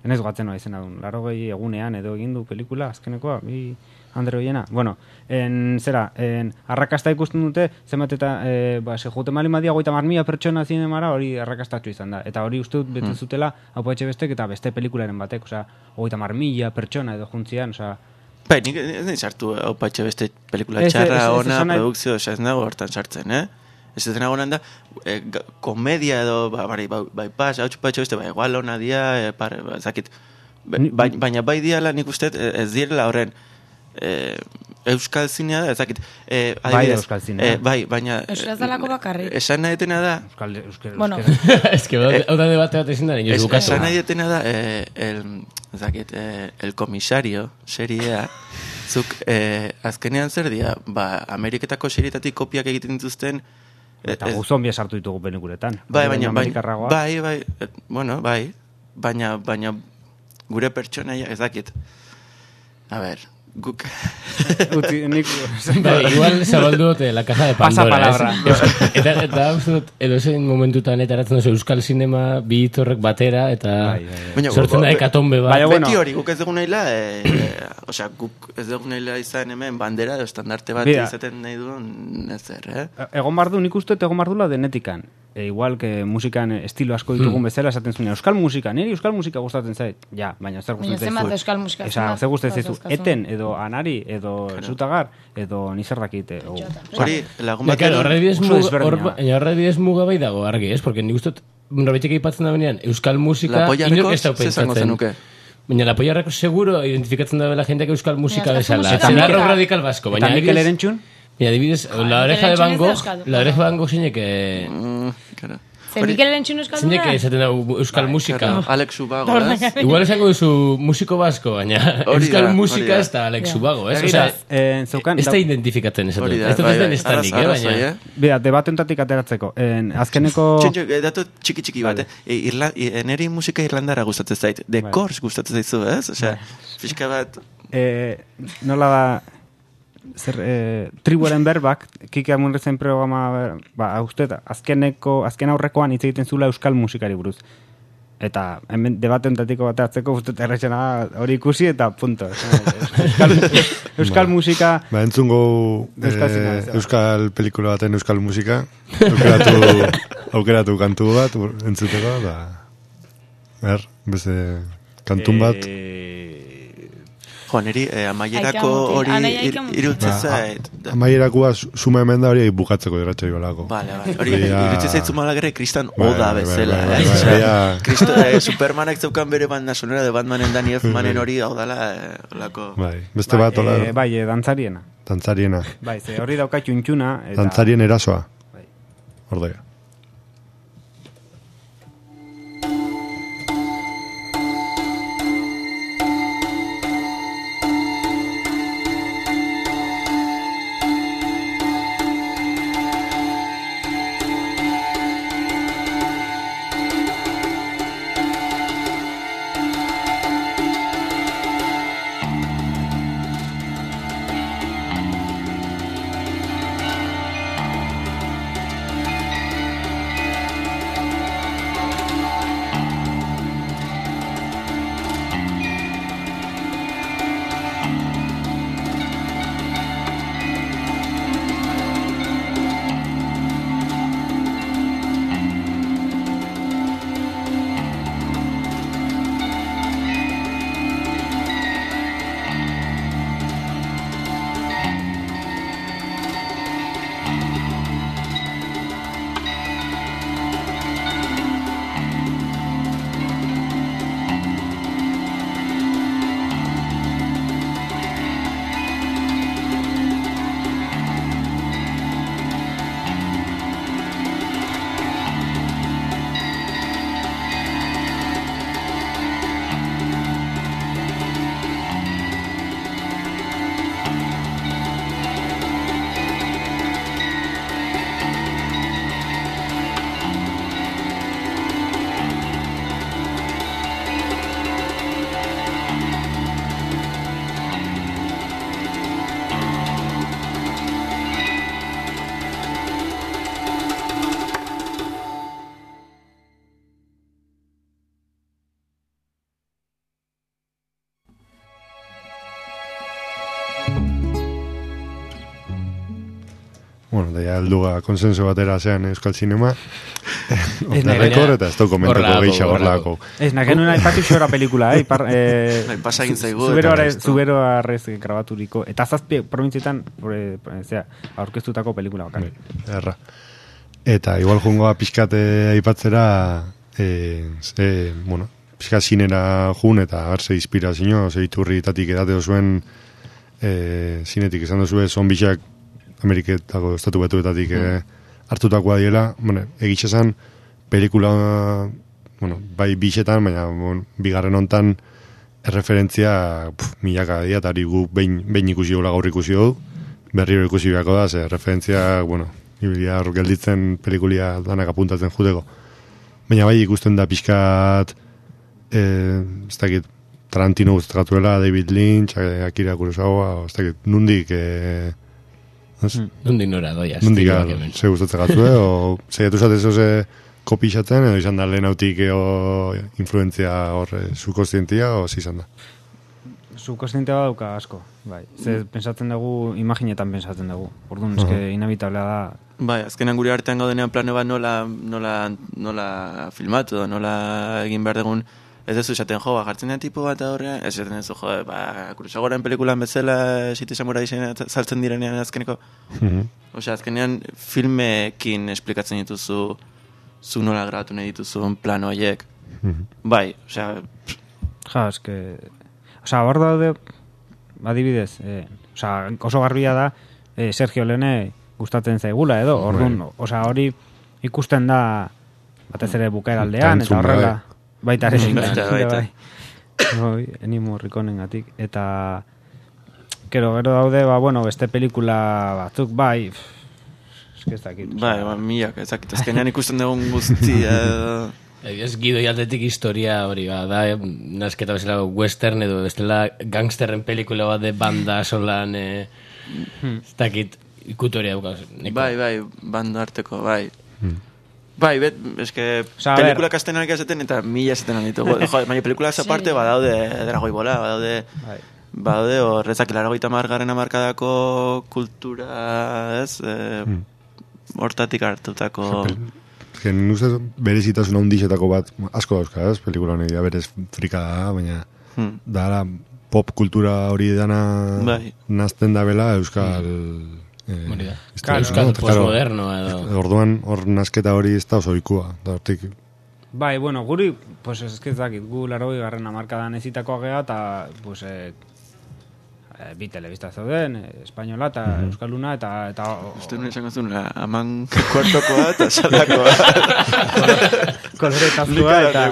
enez goatzen nola izan adun, laro gehi egunean edo egin du pelikula, azkenekoa, bi... Andre Oiena. Bueno, en, zera, en, arrakasta ikusten dute, zenbat eta, e, ba, se jute mali madia goita marmia pertsona zinemara, hori arrakastatxo izan da. Eta hori uste dut bete zutela, hau etxe bestek eta beste pelikularen batek, osea, goita marmia pertsona edo juntzian, osea... Bai, nik ez nahi sartu hau etxe beste pelikula txarra, ona, produkzio, osea, ez nago hortan sartzen, eh? Ez ez nago da, e, komedia edo, ba, bari, bai, bai, pas, hau etxe beste, bai, igual ona dia, e, par, ba, zakit, ba, baina bai diala nik uste ez direla horren, Eh, euskal zinea da, ezakit eh, bai euskal zinea eh, bai, baina euskal zalako bakarrik esan nahi etena da euskal, euskal, bueno ez que hau da debate bat ezin da esan nahi etena da eh, el, ezakit, eh, el komisario seriea zuk eh, azkenean zer dira ba, Ameriketako serietatik kopiak egiten dituzten eta eh, guzombia sartu ditugu penikuretan bai, baina, baina, bai, bai, eh, bueno, bai baina, baina gure pertsonaia ezakit a ver guk Uti, nik... Bai, igual zabaldu dute la caja de Pandora. Pasa palabra. Eta, eta uzut, edo zein momentutan etaratzen duzu euskal sinema bi hitorrek batera, eta bai, bai, bai. sortzen da ekatombe bat. Baina, beti hori, guk ez dugu nahila, e, e, osea, guk ez dugu nahila izan hemen bandera, edo estandarte bat izaten nahi duen, ez zer, eh? Egon bardu, nik uste egon bardula denetikan. E, igual que musikan estilo asko ditugun hmm. bezala, esaten zuen, euskal musika, niri euskal musika gustatzen zait. Ja, baina zer gustatzen zaizu. Baina euskal musika. Esa, zer gustatzen zaizu. Eten, edo anari, edo zutagar, edo nizar dakite. Hori, lagun bat. Horrebidez muga bai dago argi, ez? Porque nik ustot, norbaitek aipatzen da benean, euskal musika, inok ez da pentsatzen. Baina la Polla seguro identifikatzen da bela jendeak euskal musika bezala. Zerarro radikal basko. Eta Mikel Erentxun? Y adibidez, la oreja de Van Gogh, la oreja de Van Gogh zeinek... Mm, claro. Ze Mikel Erentzun euskalduna? Zeinek esaten da euskal musika. Claro, Alex Ubago, ez? Igual esango duzu musiko basko, baina euskal musika ez da Alex Ubago, ez? Osea, ez da identifikatzen esatu. Ez da ez den estanik, eh, baina... Bida, debatentatik ateratzeko. Azkeneko... Txentxo, datu txiki-txiki bat, eh? Neri musika irlandara gustatzen zait. The Course gustatzen zaizu, ez? Osea, pixka bat... Nola da... Zer, eh, tribuaren berbak, Kike Amurrezen programa, ba, uste, azkeneko, azken aurrekoan hitz egiten zula euskal musikari buruz. Eta hemen debatentatiko bateatzeko, uste, errexena hori ikusi eta punto. Euskal, euskal musika... Ba, entzungo euskal, eh, euskal pelikula baten euskal musika, aukeratu, aukeratu kantu bat, entzuteko, da... Er, beste kantun bat... Eh... Jo, niri, eh, amaierako hori irutzen zait. Amaierakua suma hemen da hori bukatzeko irratxa ibalako. Vale, vale. Hori irutzen zait zumalagere kristan oda bezala. Supermanak zeukan bere banda sonora de Batmanen Danny Elfmanen hori hau dala lako. Bai, beste bat hola. Bai, dantzariena. Dantzariena. Bai, ze hori dauka txuntxuna. Dantzarien erasoa. Ordea. Bueno, da ya alduga konsenso batera zean Euskal Cinema. Otra rekord eta ez toko mentako geisha gorlako. Ez, nagen una ipatu xora pelikula, eh? Ipar, eh pasa egin zaigu. Zubero arrez grabaturiko. Eta zazpi provintzietan, zera, aurkeztutako pelikula bakar. Erra. Eta igual jungoa pixkate aipatzera, eh, ze, bueno, pixkat zinera jun eta hartze inspirazio, ze iturritatik edate zuen eh, zinetik esan duzue, zonbixak Ameriketako estatu betuetatik eh, hartutakoa diela, bueno, egitxe zan, pelikula, bueno, bai bixetan, baina bon, bigarren hontan erreferentzia pf, milaka dia, eta gu behin, behin ikusi gola gaur ikusi dugu, berriro ikusi beharko da, ze referentzia, bueno, ibilia hor gelditzen pelikulia danak apuntatzen juteko. Baina bai ikusten da pixkat, eh, ez dakit, Tarantino guztatuela, David Lynch, Akira Kurosawa, ez dakit, nundik, eh, Nundik nora doiaz. Nundik ze gustatzen gatzue, o zeiatu zatez oze kopixatzen, edo izan da lehen hautik o influenzia hor subkostientia, o zizan da? Subkostientia baduka asko, bai. Ze pensatzen dugu, imaginetan pensatzen dugu. Orduan, uh -huh. eske inevitablea da. Bai, azkenan gure artean gaudenean plano bat nola, nola, nola filmatu, nola egin behar dugun. Ez duzu esaten, jo, jartzen den tipo bat horrean, ez esaten duzu, jo, ba, Kurosagoren pelikulan bezala, Siti Samurai saltzen direnean azkeneko. Mm-hmm. Osea, azkenean filmekin esplikatzen dituzu, zu nola grabatu nahi dituzun plano horiek. Mm-hmm. Bai, osea... Ja, eske... Osea, hor daude, adibidez, eh, osea, oso garbia da, e, Sergio Leone gustatzen zaigula edo, orduan, osea, hori ikusten da batez ere bukaeraldean, eta horrela, baita ere, baita, baita. Bai, Ennio Morriconengatik, eta gero, gero daude, ba, bueno, beste pelikula batzuk, bai, eske ez dakit. Bai, ba, milak, ez dakit, azkenean ikusten dugun guztia, Ez Gido aldetik historia hori, ba, da, nasketa bezala western edo bestela gangsterren pelikula bat de banda solan, e, ez dakit, ikutoria daukaz. Bai, bai, banda arteko, bai. Hmm. Bai, bet, eske, Osa, pelikula kastenarik esaten eta mila esaten ditugu. Jo, baina pelikula esa parte, sí. Badaude Dragoi Bola, badaude, bai. Badaude, horrezak largoita margarren amarkadako kultura, ez, e, hmm. hortatik hartutako... Gen, ustez, berezitasuna hundizetako bat, asko dauzka, ez, pelikula honi, da berez frikada, baina hmm. da pop kultura hori dana bai. Nazten da bela euskal... Hmm. Eh, claro, euskal postmoderno edo. Orduan, hor nazketa hori ez da oso ikua, da hortik... Bai, bueno, guri, pues ez que ez dakit, gu larogei garren amarkadan ezitakoa gea, eta, pues, eh, bi telebista zauden, espainola eta mm-hmm. euskaluna, eta... eta uste nuen esango zuen, aman kuartokoa eta salakoa. Koloretazua eta...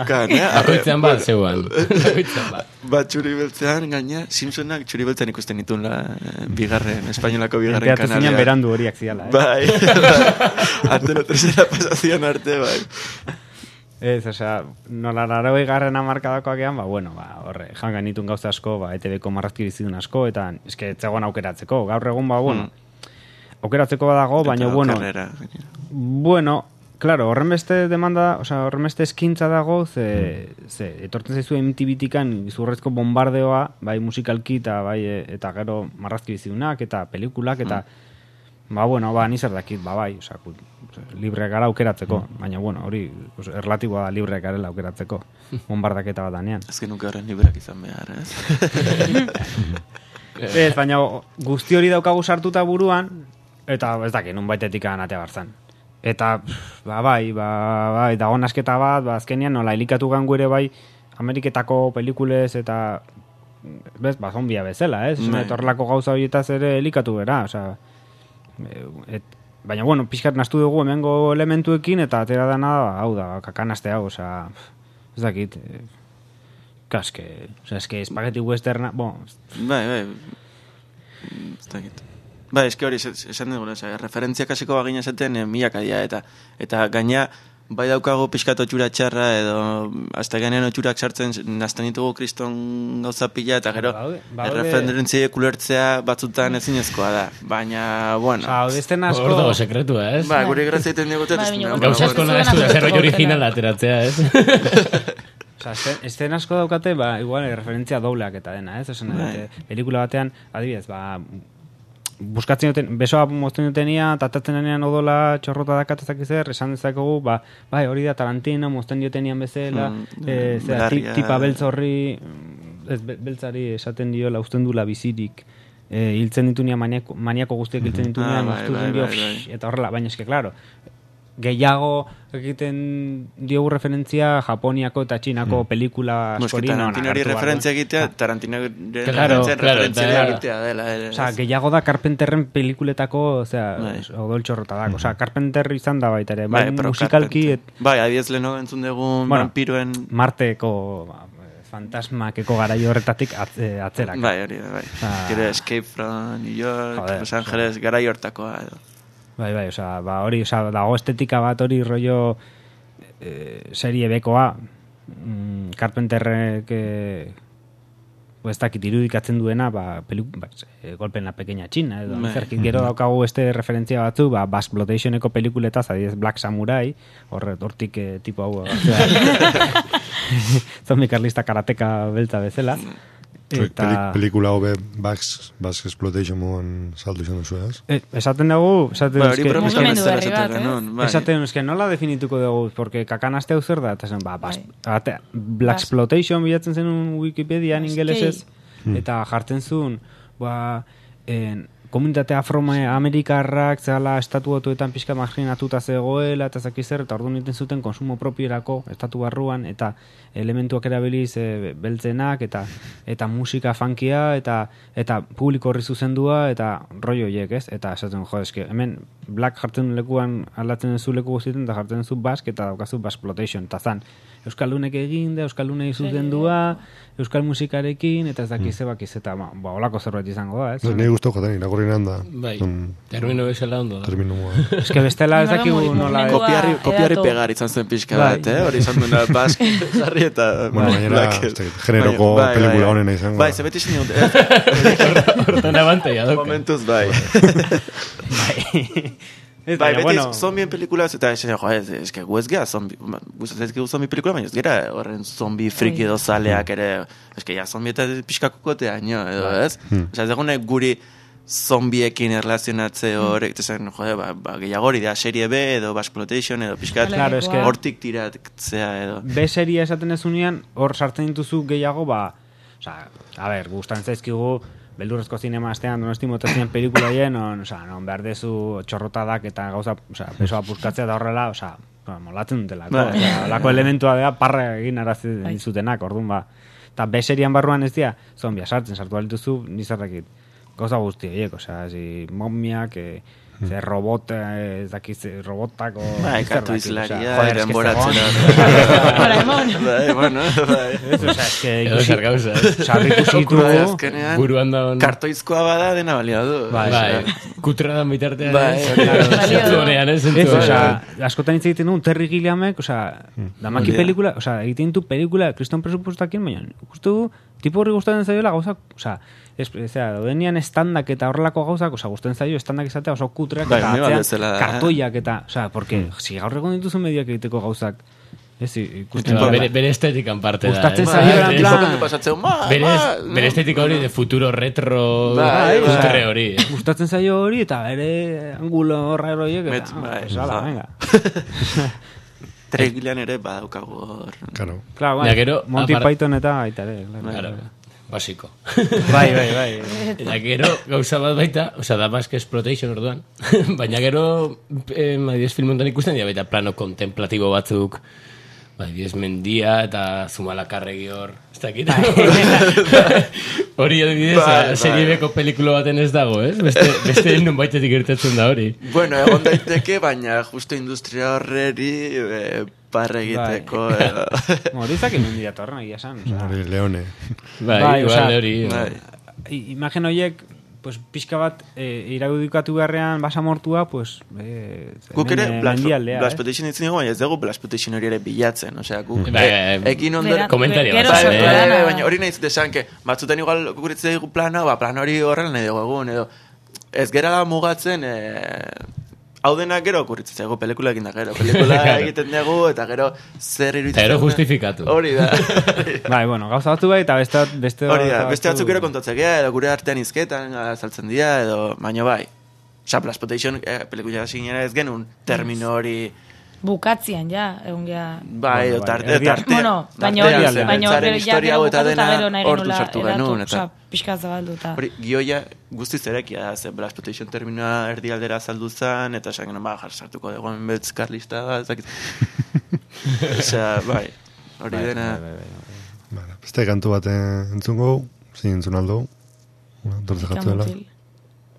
Akoitzean bat, zeuan. Akoitzean bat. Bat txuri beltzean, gaina, Simpsonak txuri beltzean ikusten ditun la bigarren, espainolako bigarren kanalea. Enteatu zinean berandu horiak ziala, eh? Bai, arte no tercera pasazion arte, bai. Ez, osea, nola larogei garren amarkadakoak ean, ba, bueno, ba, horre, jangan nitun gauza asko, ba, E T Bko marrazki bizitun asko, eta eske etzegoan aukeratzeko, gaur egun, ba, bueno, mm. aukeratzeko badago, baina, bueno, karrera. Bueno, claro, horren beste demanda, osea, horren beste eskintza dago, ze, mm. ze etortzen zaizu M T V-tikan izurrezko bombardeoa, bai musikalki, eta bai, eta gero marrazki bizitunak, eta pelikulak, eta, mm. ba, bueno, ba, nizar dakit, ba, bai, osea, libre gara aukeratzeko, mm. baina, bueno, hori pues, erlatiboa da libre garela aukeratzeko, bombardaketa bat danean. Ez genuke horren libreak izan behar, ez? Ez, baina guzti hori daukagu sartuta buruan, eta ez dakit, nun baitetik anatea barzan. Eta, ba, bai, ba, bai, dago nasketa bat, ba, azkenean nola helikatu gangu ere bai, Ameriketako pelikulez eta, bez, ba, zombia bezala, ez? Eta horrelako gauza horietaz ere helikatu bera, osea, et, baina, bueno, pixkat nastu dugu hemengo elementuekin, eta atera dana, hau da, kakanaste hau, osea, ez dakit, kaske, osea, eske espageti westerna, bon. Bai, bai, ez dakit. Bai, eske hori, esan dugu, osea, referentziak hasiko bagina esaten, eh, milaka dira, eta, eta gaina, bai daukago pixkat otxura txarra, edo, hasta ganean otxurak sartzen, nazten ditugu kriston gauza pila, eta gero, erreferentziak kulertzea batzutan ezinezkoa da. Baina, bueno. Hau, desten asko... Hor dago sekretua, ez? Ba, gure grazia iten digote. Gauza asko nahi esku da, zer roi original ateratzea, ez? Osa, esten asko daukate, ba, igual, referentzia dobleak eta dena, ez? Osa, pelikula batean, adibidez, ba... buskatzen duten, besoa mozten dutenia, tatatzen denean odola txorrota dakatezak izer, esan dezakegu, ba, bai, hori da Tarantino, mozten diotenian bezala, mm, e, zera, tip, tipa beltz horri, ez, beltzari esaten diola, usten dula bizirik, e, hiltzen ditunia maniako, maniako guztiak hiltzen ditunia, ah, bai, bai, dio, bai, bai. Eta horrela, baina eske, klaro, gehiago egiten diogu referentzia Japoniako eta Txinako mm. pelikula askori. Tarantino hori referentzia egitea, Tarantino referentzia egitea dela. Osa, gehiago da Carpenterren pelikuletako, osea, odol txorrotadak. Osa, Carpenter izan da baita ere, bai, musikalki... Bai, adiez leheno entzun dugun vampiroen... Marteko... fantasmakeko garaio horretatik atzerak. Bai, hori da, bai. Gero Escape from New York, Los Angeles, garaio hortakoa edo. Bai, bai, oza, ba, hori, oza, dago estetika bat hori rollo eh, serie bekoa, mm, Carpenterrek eh, ez dakit irudikatzen duena, ba, peliku, ba, eh, Golpe en la pequeña China, edo, zerkit gero daukagu este referentzia batzu, ba, Blaxploitationeko pelikuletaz, adiez Black Samurai, horre, hortik eh, tipo hau, zombi karlista karateka beltza bezala. Eta... pelikula hobe Bax Exploitation moan saldu izan duzu, ez? Eh, esaten dugu... Esaten ba, hori promeskoan ez dela esaten, eh? Esaten, eske nola definituko dugu, porque kakan aste hau zer da, eta zen, ba, Black Exploitation bilatzen zen un Wikipedian ingelesez, eta jartzen zuen, ba, en, komunitate afroamerikarrak zela estatu batuetan pixka marginatuta zegoela eta zaki zer, eta orduan egiten zuten konsumo propierako estatu barruan eta elementuak erabiliz e, beltzenak eta eta musika funkia eta eta publiko horri zuzendua eta rollo horiek, ez? Eta esaten, jo, eske, hemen black jartzen lekuan aldatzen duzu leku guztietan eta jartzen duzu bask eta daukazu baskploitation, eta zan Euskaldunek egin da, Euskaldunei zuzendua, Euskal musikarekin, eta ez dakiz ebakiz, eta ba, ba, olako zerbait izango da, ez? Nei guztu joten, irakurri da. Bai, termino bezala ondo da. Termino Ez que bestela ez dakigu nola... Kopiarri, kopiarri pegar izan zen pixka bat, eh? Hori izan duena bask, jarri eta... Bueno, gainera, generoko pelikula honena izango. Bai, zebeti izan dut. Hortan abantaia doke. Momentuz, bai. Bai. Bai, beti bueno, zombien pelikulaz, eta esan, jo, ez, ez, gu ez geha zombi, gustatzen ezkigu zombi pelikula, baina ez gera horren zombi friki edo zaleak ere, ez que ja zombi eta pixkakokotea, nio, edo, ez? Osa, ez egune guri zombiekin erlazionatze horrek, eta zen, jo, ba, ba, gehiago hori da, serie B edo Baskploitation edo pixkat, Claro, es que- hortik tiratzea edo. B seria esaten ez unean, hor sartzen dituzu gehiago, ba, oza, a ber, gustan zaizkigu, beldurrezko zinema astean donosti motazien pelikulaien, on, oza, non behar dezu txorrotadak eta gauza, oza, pesoa puskatzea da horrela, oza, ba, molatzen dutelako, Bai. oza, olako elementua da, parra egin arazi dizutenak, orduan ba. Eta B serian barruan ez dira, zombia sartzen, sartu balituzu, nizarrakit, gauza guzti, horiek, oza, zi, momiak, e, ze robot, ez dakiz, robotako... Bai, kartu izlaria, joder, eske denboratzera. Doraemon. Bai, bueno, bai. Ez, oza, eske Edo zer gauza. sarri ikusitu, Bai, azkenean, Buruan da on... kartoizkoa bada dena balia du. Bai, Bai, kutra da bitartean. Bai, ez? hori da. Zentzu honean, ez? Ez, Zentzu osea, honean. askotan hitz egiten du Terry Gilliamek, osea, damaki Hori da. pelikula, osea, egiten du pelikula kriston presupuestakin, baina ikustu du tipo horri gustatzen zaiola gauzak, osea, ez, ezea, daudenian estandak eta horrelako gauzak, osea, gustatzen zaio estandak izatea oso kutreak Bai, eta ni bat atzean bezala da, eh? kartoiak eta, osea, porque si gaur egon dituzu medioak egiteko gauzak, ez, ikusten Ba, dela. bere, bere estetikan parte da. Gustatzen eh? zaio, Bai, en plan- Enfokan pasatzeu, ma, Bere, ma, bere estetika hori de futuro retro Bai, bai. kutre hori. eh? Gustatzen zaio hori eta bere angulo horra horiek Metz, eta, bai, pues, ala, ja. venga. Tregilean ere badaukagu hor. Claro. Claro, bai, Ja, gero, Monty apar- Python eta baita ere, claro. Claro, basiko. Bai, bai, bai. Eta gero, gauza bat baita, oza, da Bask Exploitation orduan, baina gero, eh, adibidez filmontan ikusten dira baita plano kontemplatibo batzuk, bai, adibidez mendia eta Zumalakarregi hor, ez dakit. Hori adibidez, Bai, a, serie bai. beko pelikulo baten ez dago, ez? Beste, beste non baitetik gertatzen da hori. Bueno, egon daiteke, baina justo industria horreri e, parre egiteko. edo. Hori zakin mendia torren egia esan. Osea, Hori Leone. Bai, Bai, igual osea, hori. Bai. i- imagen horiek, pues, pixka bat e, iragudikatu beharrean basamortua, pues, e, Guk ere, hemen, Black mendialdea, eh? Blaxploitation ditzen dugu, baina ez dugu Blaxploitation hori ere bilatzen. Osea, guk Bai, e, bai, ekin ondor... Bera- komentario gero bat, Bai, sortu eh? bai, dana. bai, baina hori nahi zute esan, que batzutan igual guritzen dugu plana, ba, plan hori horrela nahi dugu egun, edo ez gerala mugatzen, e, hau denak gero okurritzen zaigu, pelikula egin da gero, pelikula egiten dugu, eta gero zer iruditzen. Eta gero den- justifikatu. Hori da. Bai, bueno, gauza batzu bai, eta beste, beste, Hori da, gauza beste batzuk batzu- gero kontatzea gea, edo gure artean izketan, azaltzen dira, edo, baina bai. Osa, Blaxploitation, eh, pelikula zinera ez genuen termino hori, Bukatzian, ja, egun gea... bai, edo bai, tarte, erdia- tarte, Bueno, baina tartean hori, zen, baina beltzaren hori, ja, historia gero hau eta bukatu eta dena gero nahi hortu genula sartu edatu, genuen, eta... osea, pixka zabalduta. Hori, gioia guztiz erekia da, ze Blaxploitation terminoa erdialdera saldu zen, eta esan genuen, ba, jar sartuko dugu enbetz karlista da, ezakit. Osea, bai, hori Bai, dena... bai, bai, bai. Vale, beste kantu bat entzungo, zin entzun aldo. Dortze jatu dela. Kamutil.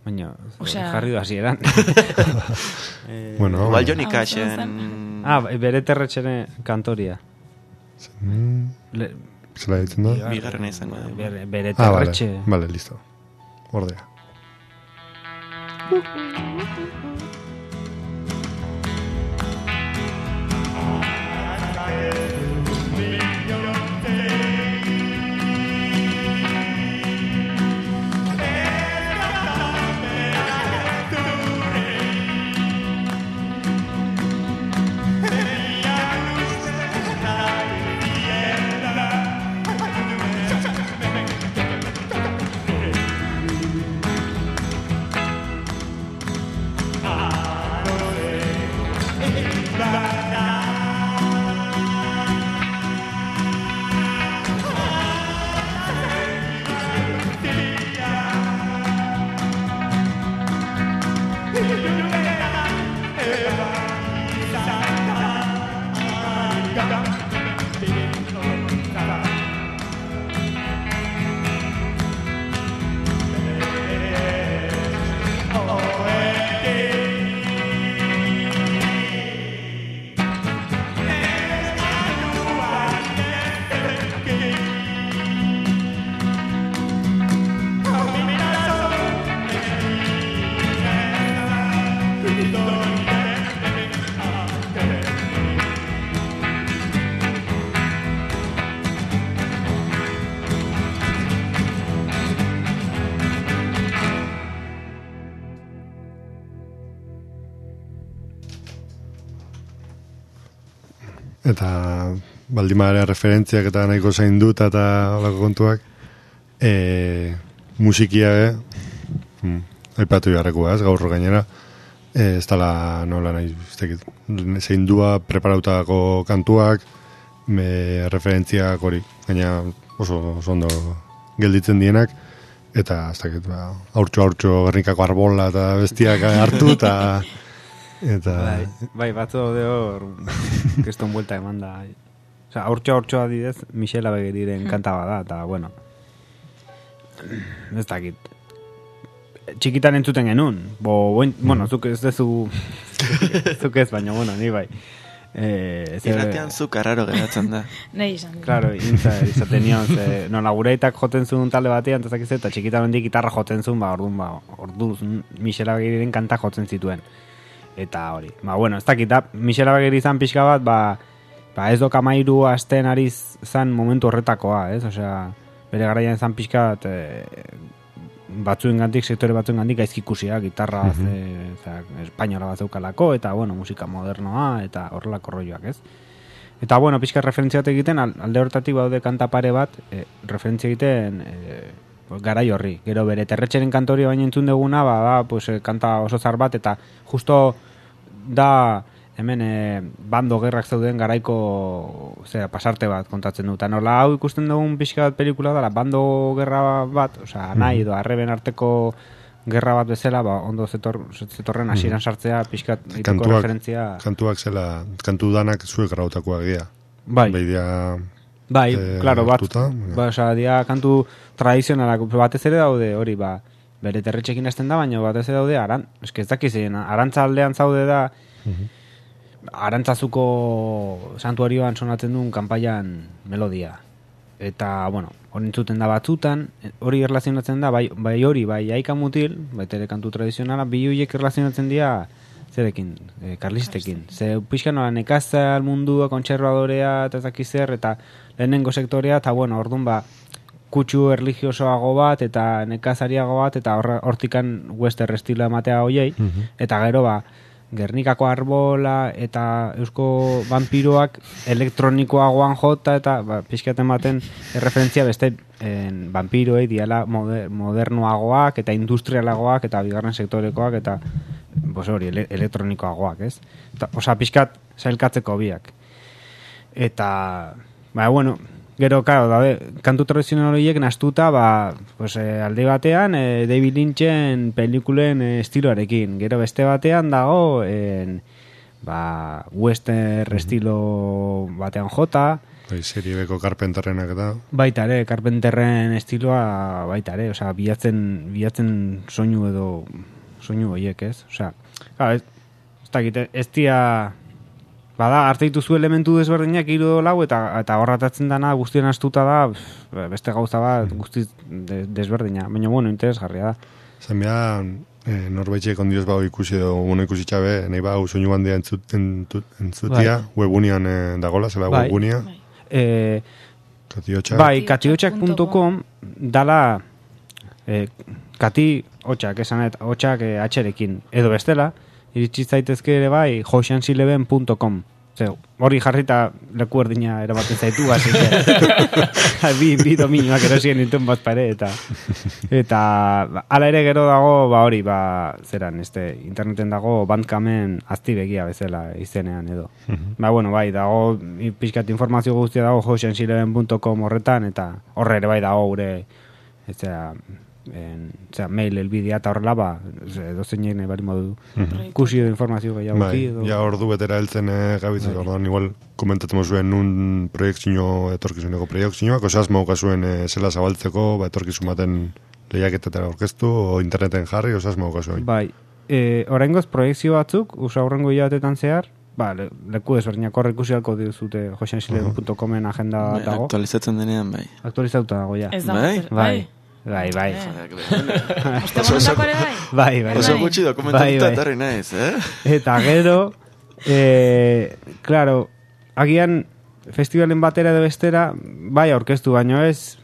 Baina, Osea- jarri du hasieran. Bueno, Igual Johnny Hau Cashen... ah, bere terretxene kantoria. mm, Le, zela ditzen da? Bigarrena izango da. bere, bere Ah, vale, terretxe. vale, listo. Ordea. Ah eta baldimare referentziak eta nahiko zain dut eta olako kontuak, e, musikia, e, hmm, aipatu jarrekoa, ez, gaur gainera, e, ez dala nola nahi, zein dua preparautako kantuak, me referentziak hori, gaina oso, oso ondo gelditzen dienak, eta ez dakit, ba, haurtxo-haurtxo Gernikako arbola eta bestiak hartu, eta... eta... Bai, bai batzu daude hor, keston buelta eman da. Osa, haurtxo-haurtxo adidez, Michela Begeriren kanta bada, eta, bueno, ez dakit. Txikitan entzuten genuen, bo, buen, bueno, zuk ez dezu, zuk ez, baina, bueno, ni bai. Eh, Irratean zu karraro geratzen da. Nahi izan. Claro, intza, izaten nion, ze, no, lagureitak joten zuen talde batean, eta eta txikitan hendik gitarra joten zuen, ba, orduan, ba, orduz, Michela Begeriren kanta jotzen zituen. Eta hori, ba, bueno, ez dakit, Michela Begeri izan pixka bat, ba, ba ez dok amairu asten ari zan momentu horretakoa, ez? Osea, bere garaian izan pixka bat, e, batzuen gandik, sektore batzuen gandik gaizkikusia, gitarra, mm -hmm. ze, espainola bat zeukalako, eta, bueno, musika modernoa, eta horrelako rolloak, ez? Eta, bueno, pixka referentzia bat egiten, alde horretatik baude kanta pare bat, e, referentzia egiten, e, garai horri. Gero bere terretxeren kantorio baina entzun deguna, ba, da, pues, kanta oso zar bat, eta justo da, hemen, e, bando gerrak zeuden garaiko, zera, pasarte bat kontatzen dut. Nola hau ikusten dugun pixka bat pelikula da, bando gerra bat, osea, nahi edo arreben arteko gerra bat bezala, ba, ondo zetor, zetorren hasieran sartzea, pixka egiteko referentzia. Kantuak zela, kantu danak zuek grautakoak dira. Bai. Baidia... Bai, e, claro, bat, tuta, ba, osea, dia kantu tradizionalak batez ere daude, hori, ba, bere terretxekin hasten da, baina batez ere daude, aran, eske ez dakizen, arantza aldean zaude da, uh-huh. Arantzazuko santuarioan sonatzen duen kanpaian melodia. Eta, bueno, hori entzuten da batzutan, hori erlazionatzen da, bai, bai hori, bai aika mutil, bai ere kantu tradizionala, bi horiek erlazionatzen dira, zerekin, e, karlistekin. Ze pixkan nola nekazal mundua, kontserbadorea, eta zakizer, eta lehenengo sektorea, eta bueno, orduan ba, kutsu erligiosoago bat, eta nekazariago bat, eta hortikan western estilo ematea hoiei, uh-huh. Eta gero ba, Gernikako arbola eta eusko vampiroak elektronikoagoan jota, eta ba, pixkaten baten referentzia beste en, vampiroei diala moder, modernoagoak, eta industrialagoak, eta bigarren sektorekoak, eta bos hori, ele, elektronikoagoak, ez? Eta, osa, pixkat zailkatzeko biak. Eta, ba, bueno, gero, karo, daude, kantu tradizional horiek nastuta, ba, pues, eh, alde batean, eh, David Lynchen pelikulen eh, estiloarekin. Gero beste batean dago, en, ba, western estilo batean jota. Bai, serie beko Carpenterrenak eta. Baita ere, Carpenterren estiloa, baita ere, osea, bilatzen, bilatzen soinu edo, soinu horiek, ez? Osea, claro, ez, ez dakit, ez dia... Bada, arte dituzu elementu desberdinak hiru lau, eta eta horratatzen dana guztien astuta da, beste gauza bat guztiz desberdina. Baina, bueno, interesgarria da. Zan behar, eh, norbaitxek ondioz bau ikusi edo, bueno, ikusi txabe, nahi bau soinu bandia entzut, entzut, entzutia, bai. Webunian eh, dagola, zela bai. Webunia. Bai, eh, Katiotxak. Bai, katiotxak puntu com dala eh, kati hotxak, esanet, hotxak eh, atxerekin. Edo bestela, iritsi zaitezke ere bai, oceans eleven puntu com. Hori jarrita leku erdina eramaten zaitu, hasi bi, bi dominioak erosien dituen bat pare, eta eta ala ere gero dago, ba hori, ba, zeran, este, interneten dago Bandcampen aztibegia bezala izenean edo. Uh-huh. Ba, bueno, bai, dago, pixkat informazio guztia dago oceans eleven puntu com horretan, eta horre ere bai dago gure, ez zera, en, zera, mail elbidea eta horrela, ba, dozen nahi bari modu ikusi edo informazio gehiago. Bai, ja ordu betera heltzen eh, gabitzen, orduan igual komentatzen zuen nun proiektzino, etorkizuneko proiektzinoak, osaz mauka zuen eh, zela zabaltzeko, ba, etorkizun baten lehiaketetara orkestu, o interneten jarri, osaz mauka zuen. Bai, e, horrengoz proiektzio batzuk, usa horrengo hilabetetan zehar, ba, le, leku desberdinak horre ikusi alko dizute oceans eleven puntu comen agenda bai, dago. Aktualizatzen denean, bai. Aktualizatuta dago, ja. Ez da, bai? bai. Bai, bai. Ostemondako ere bai? Bai, bai. Oso gutxi dokumentatuta etorri naiz, eh? Eta gero, eh, claro, agian festivalen batera edo bestera, bai aurkeztu, baino ez,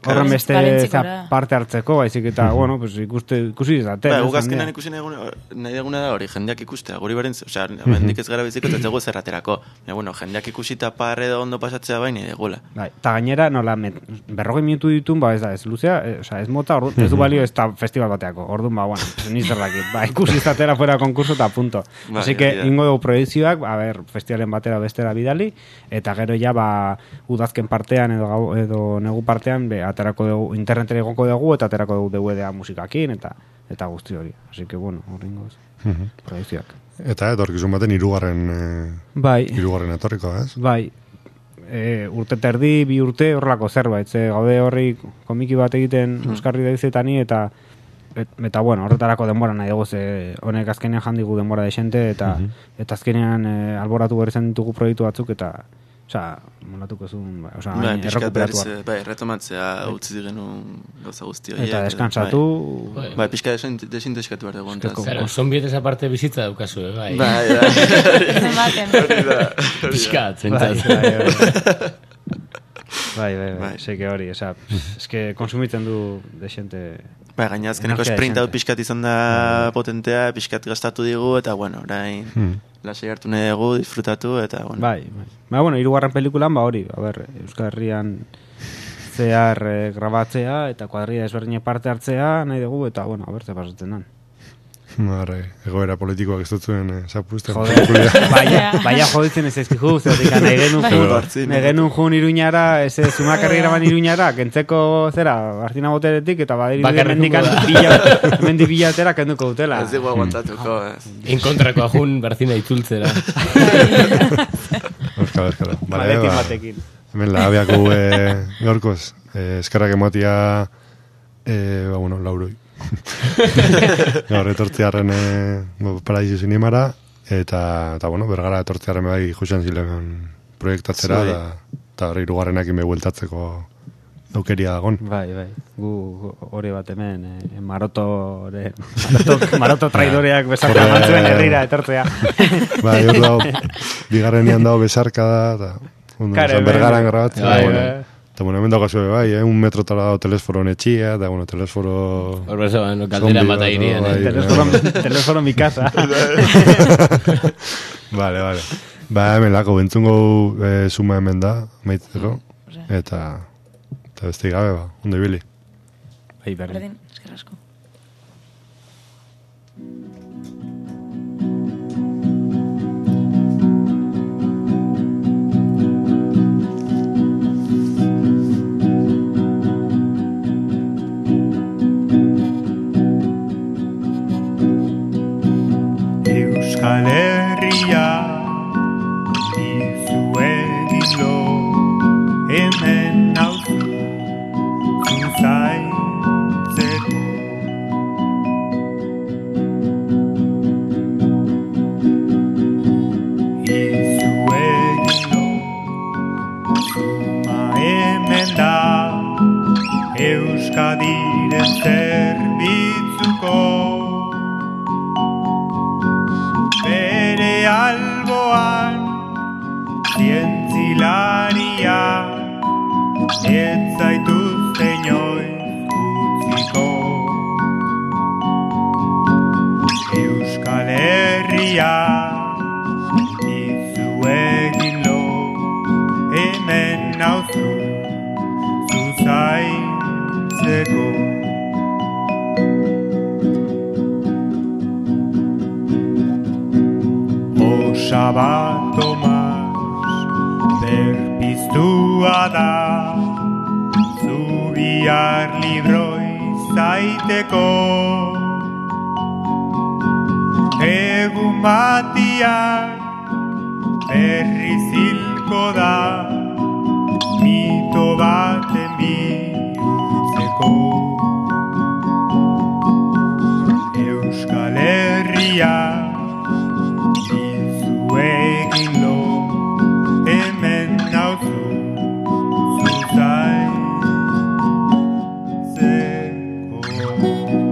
horren beste Valentzikora. parte hartzeko, baizik eta, bueno, pues, ikuste, ikusi izaten. Ba, guk azkenan ikusi nahi duguna- nahi duguna da hori, jendeak ikustea, guri beren, osea, hemendik ez gara biziko, eta ez dugu zerraterako. Ja, bueno, jendeak ikusita parre edo ondo pasatzea baina egula. Bai, eta gainera, nola, met, berrogei minutu ditun, ba, ez da, ez luzea, e, osea, ez mota, ordu, ez du balio ez da festival bateako, orduan, ba, bueno, niz dakit, ba, ikusi izatera fuera konkurso eta punto. Bai, Así que, hori da. ingo dugu proiezioak, a ber, festivalen batera bestera bidali, eta gero ja, ba, udazken partean edo, gau, edo negu partean, be, aterako dugu, internetera igoko dugu, eta aterako dugu D V D-a musikakin, eta eta guzti hori. Así que, bueno, horrengoz, proiezioak. Eta etorkizun baten hirugarren eh, Bai, hirugarren etorriko, ez? bai, e, urte terdi, bi urte horrelako zerbait, ze gaude horri komiki bat egiten Euskarri daizetani, eta et, eta bueno, horretarako denbora nahi dugu, ze honek azkenean jandigu denbora desente, eta eta azkenean e, alboratu berri zen ditugu proiektu batzuk, eta osea, molatuko zuen, ba, osea, Bai, hain pixkat errekuperatu berriz, behar. bai, retomatzea utzi genuen gauza guzti horiek. Eta descansatu, Bai, bai pixka desinteskatu behar dugu. Eske, ontaz. Claro, zonbietez aparte bizitza daukazu, eh, bai. Bai, bai. Ematen. Hori da. Piskat, bai, zentzat. bai, bai. Bai, bai, bai, Bai. seke hori, osea, eske konsumitzen du desente. Bai, gaina azkeneko Energia sprint hau desente. pixkat izan da potentea, pixkat gastatu digu, eta bueno, orain lasai hartu nahi dugu, disfrutatu, eta bueno. Bai, bai. Ba, bueno, hirugarren pelikulan, ba hori, a ber, Euskal Herrian zehar eh, grabatzea, eta kuadrilla ezberdine parte hartzea, nahi dugu, eta, bueno, a ber, ze pasatzen dan. Marre, egoera politikoak ez dutzuen eh, zapuzten. Joder, baina, baina joditzen ez ezkizu, zertik nahi genuen Bai. jun, Bartzi, nahi genuen jun iruñara, ez ez, zumakarri graban iruñara, kentzeko zera, Martina Boteretik, eta badiri Bakarrik mendikan da. bila, mendi bilatera kenduko dutela. Ez dugu aguantatuko, ez. Inkontrako ajun Barzina itzultzera. Euskal, euskal. Vale, Maletin ba, batekin. hemen labiako eh, gaurkoz, eh, eskerrak ematia, eh, ba, bueno, lauroi. Gaur etortziarren eh, Paradiso Zinemara, eta, eta bueno, bergara etortziarren bai Josean Zilegan proiektatzera, Zuei. eta, eta hori hirugarrenak ime bueltatzeko aukeria dagon. Bai, bai, gu gu- hori bat hemen, eh, marotore, maroto, maroto traidoreak besarka Horre- mantzuen herrira etortzea. Bai, hor dago, bigarrenian dago besarka da, eta ondo, Kare, esan, hemen- bergaran grabatzen. Bai, eta, bueno, bai. eta bueno, hemen dago zuen, bai, eh, un metrotara dago telesforo netxia, eta bueno, telesforo... Hor bezo, bueno, kaldera Zombi bat bat, airean, bai. eh. Telesforo, telesforo mi casa. Vale, vale. Ba, hemen lako, bentzungo eh, suma hemen da, maitzeko, eta, eta beste gabe, ba, ondo ibili. Bai, berdin. Berdin, esker asko. Euskal Herria izuegin lo hemen nauzu zuzaitzeko. Izuegin lo zuma hemen da Euskadiren zerbitzuko. Bere alboan zientzilaria ez zaituzte inoiz utziko. Euskal Herria izuegin lo hemen nauzu zuzaitzeko. Osaba Tomas berpiztua da Zubiar libroi zaiteko. Egun batiak berri zilko da mito baten bihurtzeko. Euskal Herria izuegin lo hemen nauzu zuzaitzeko.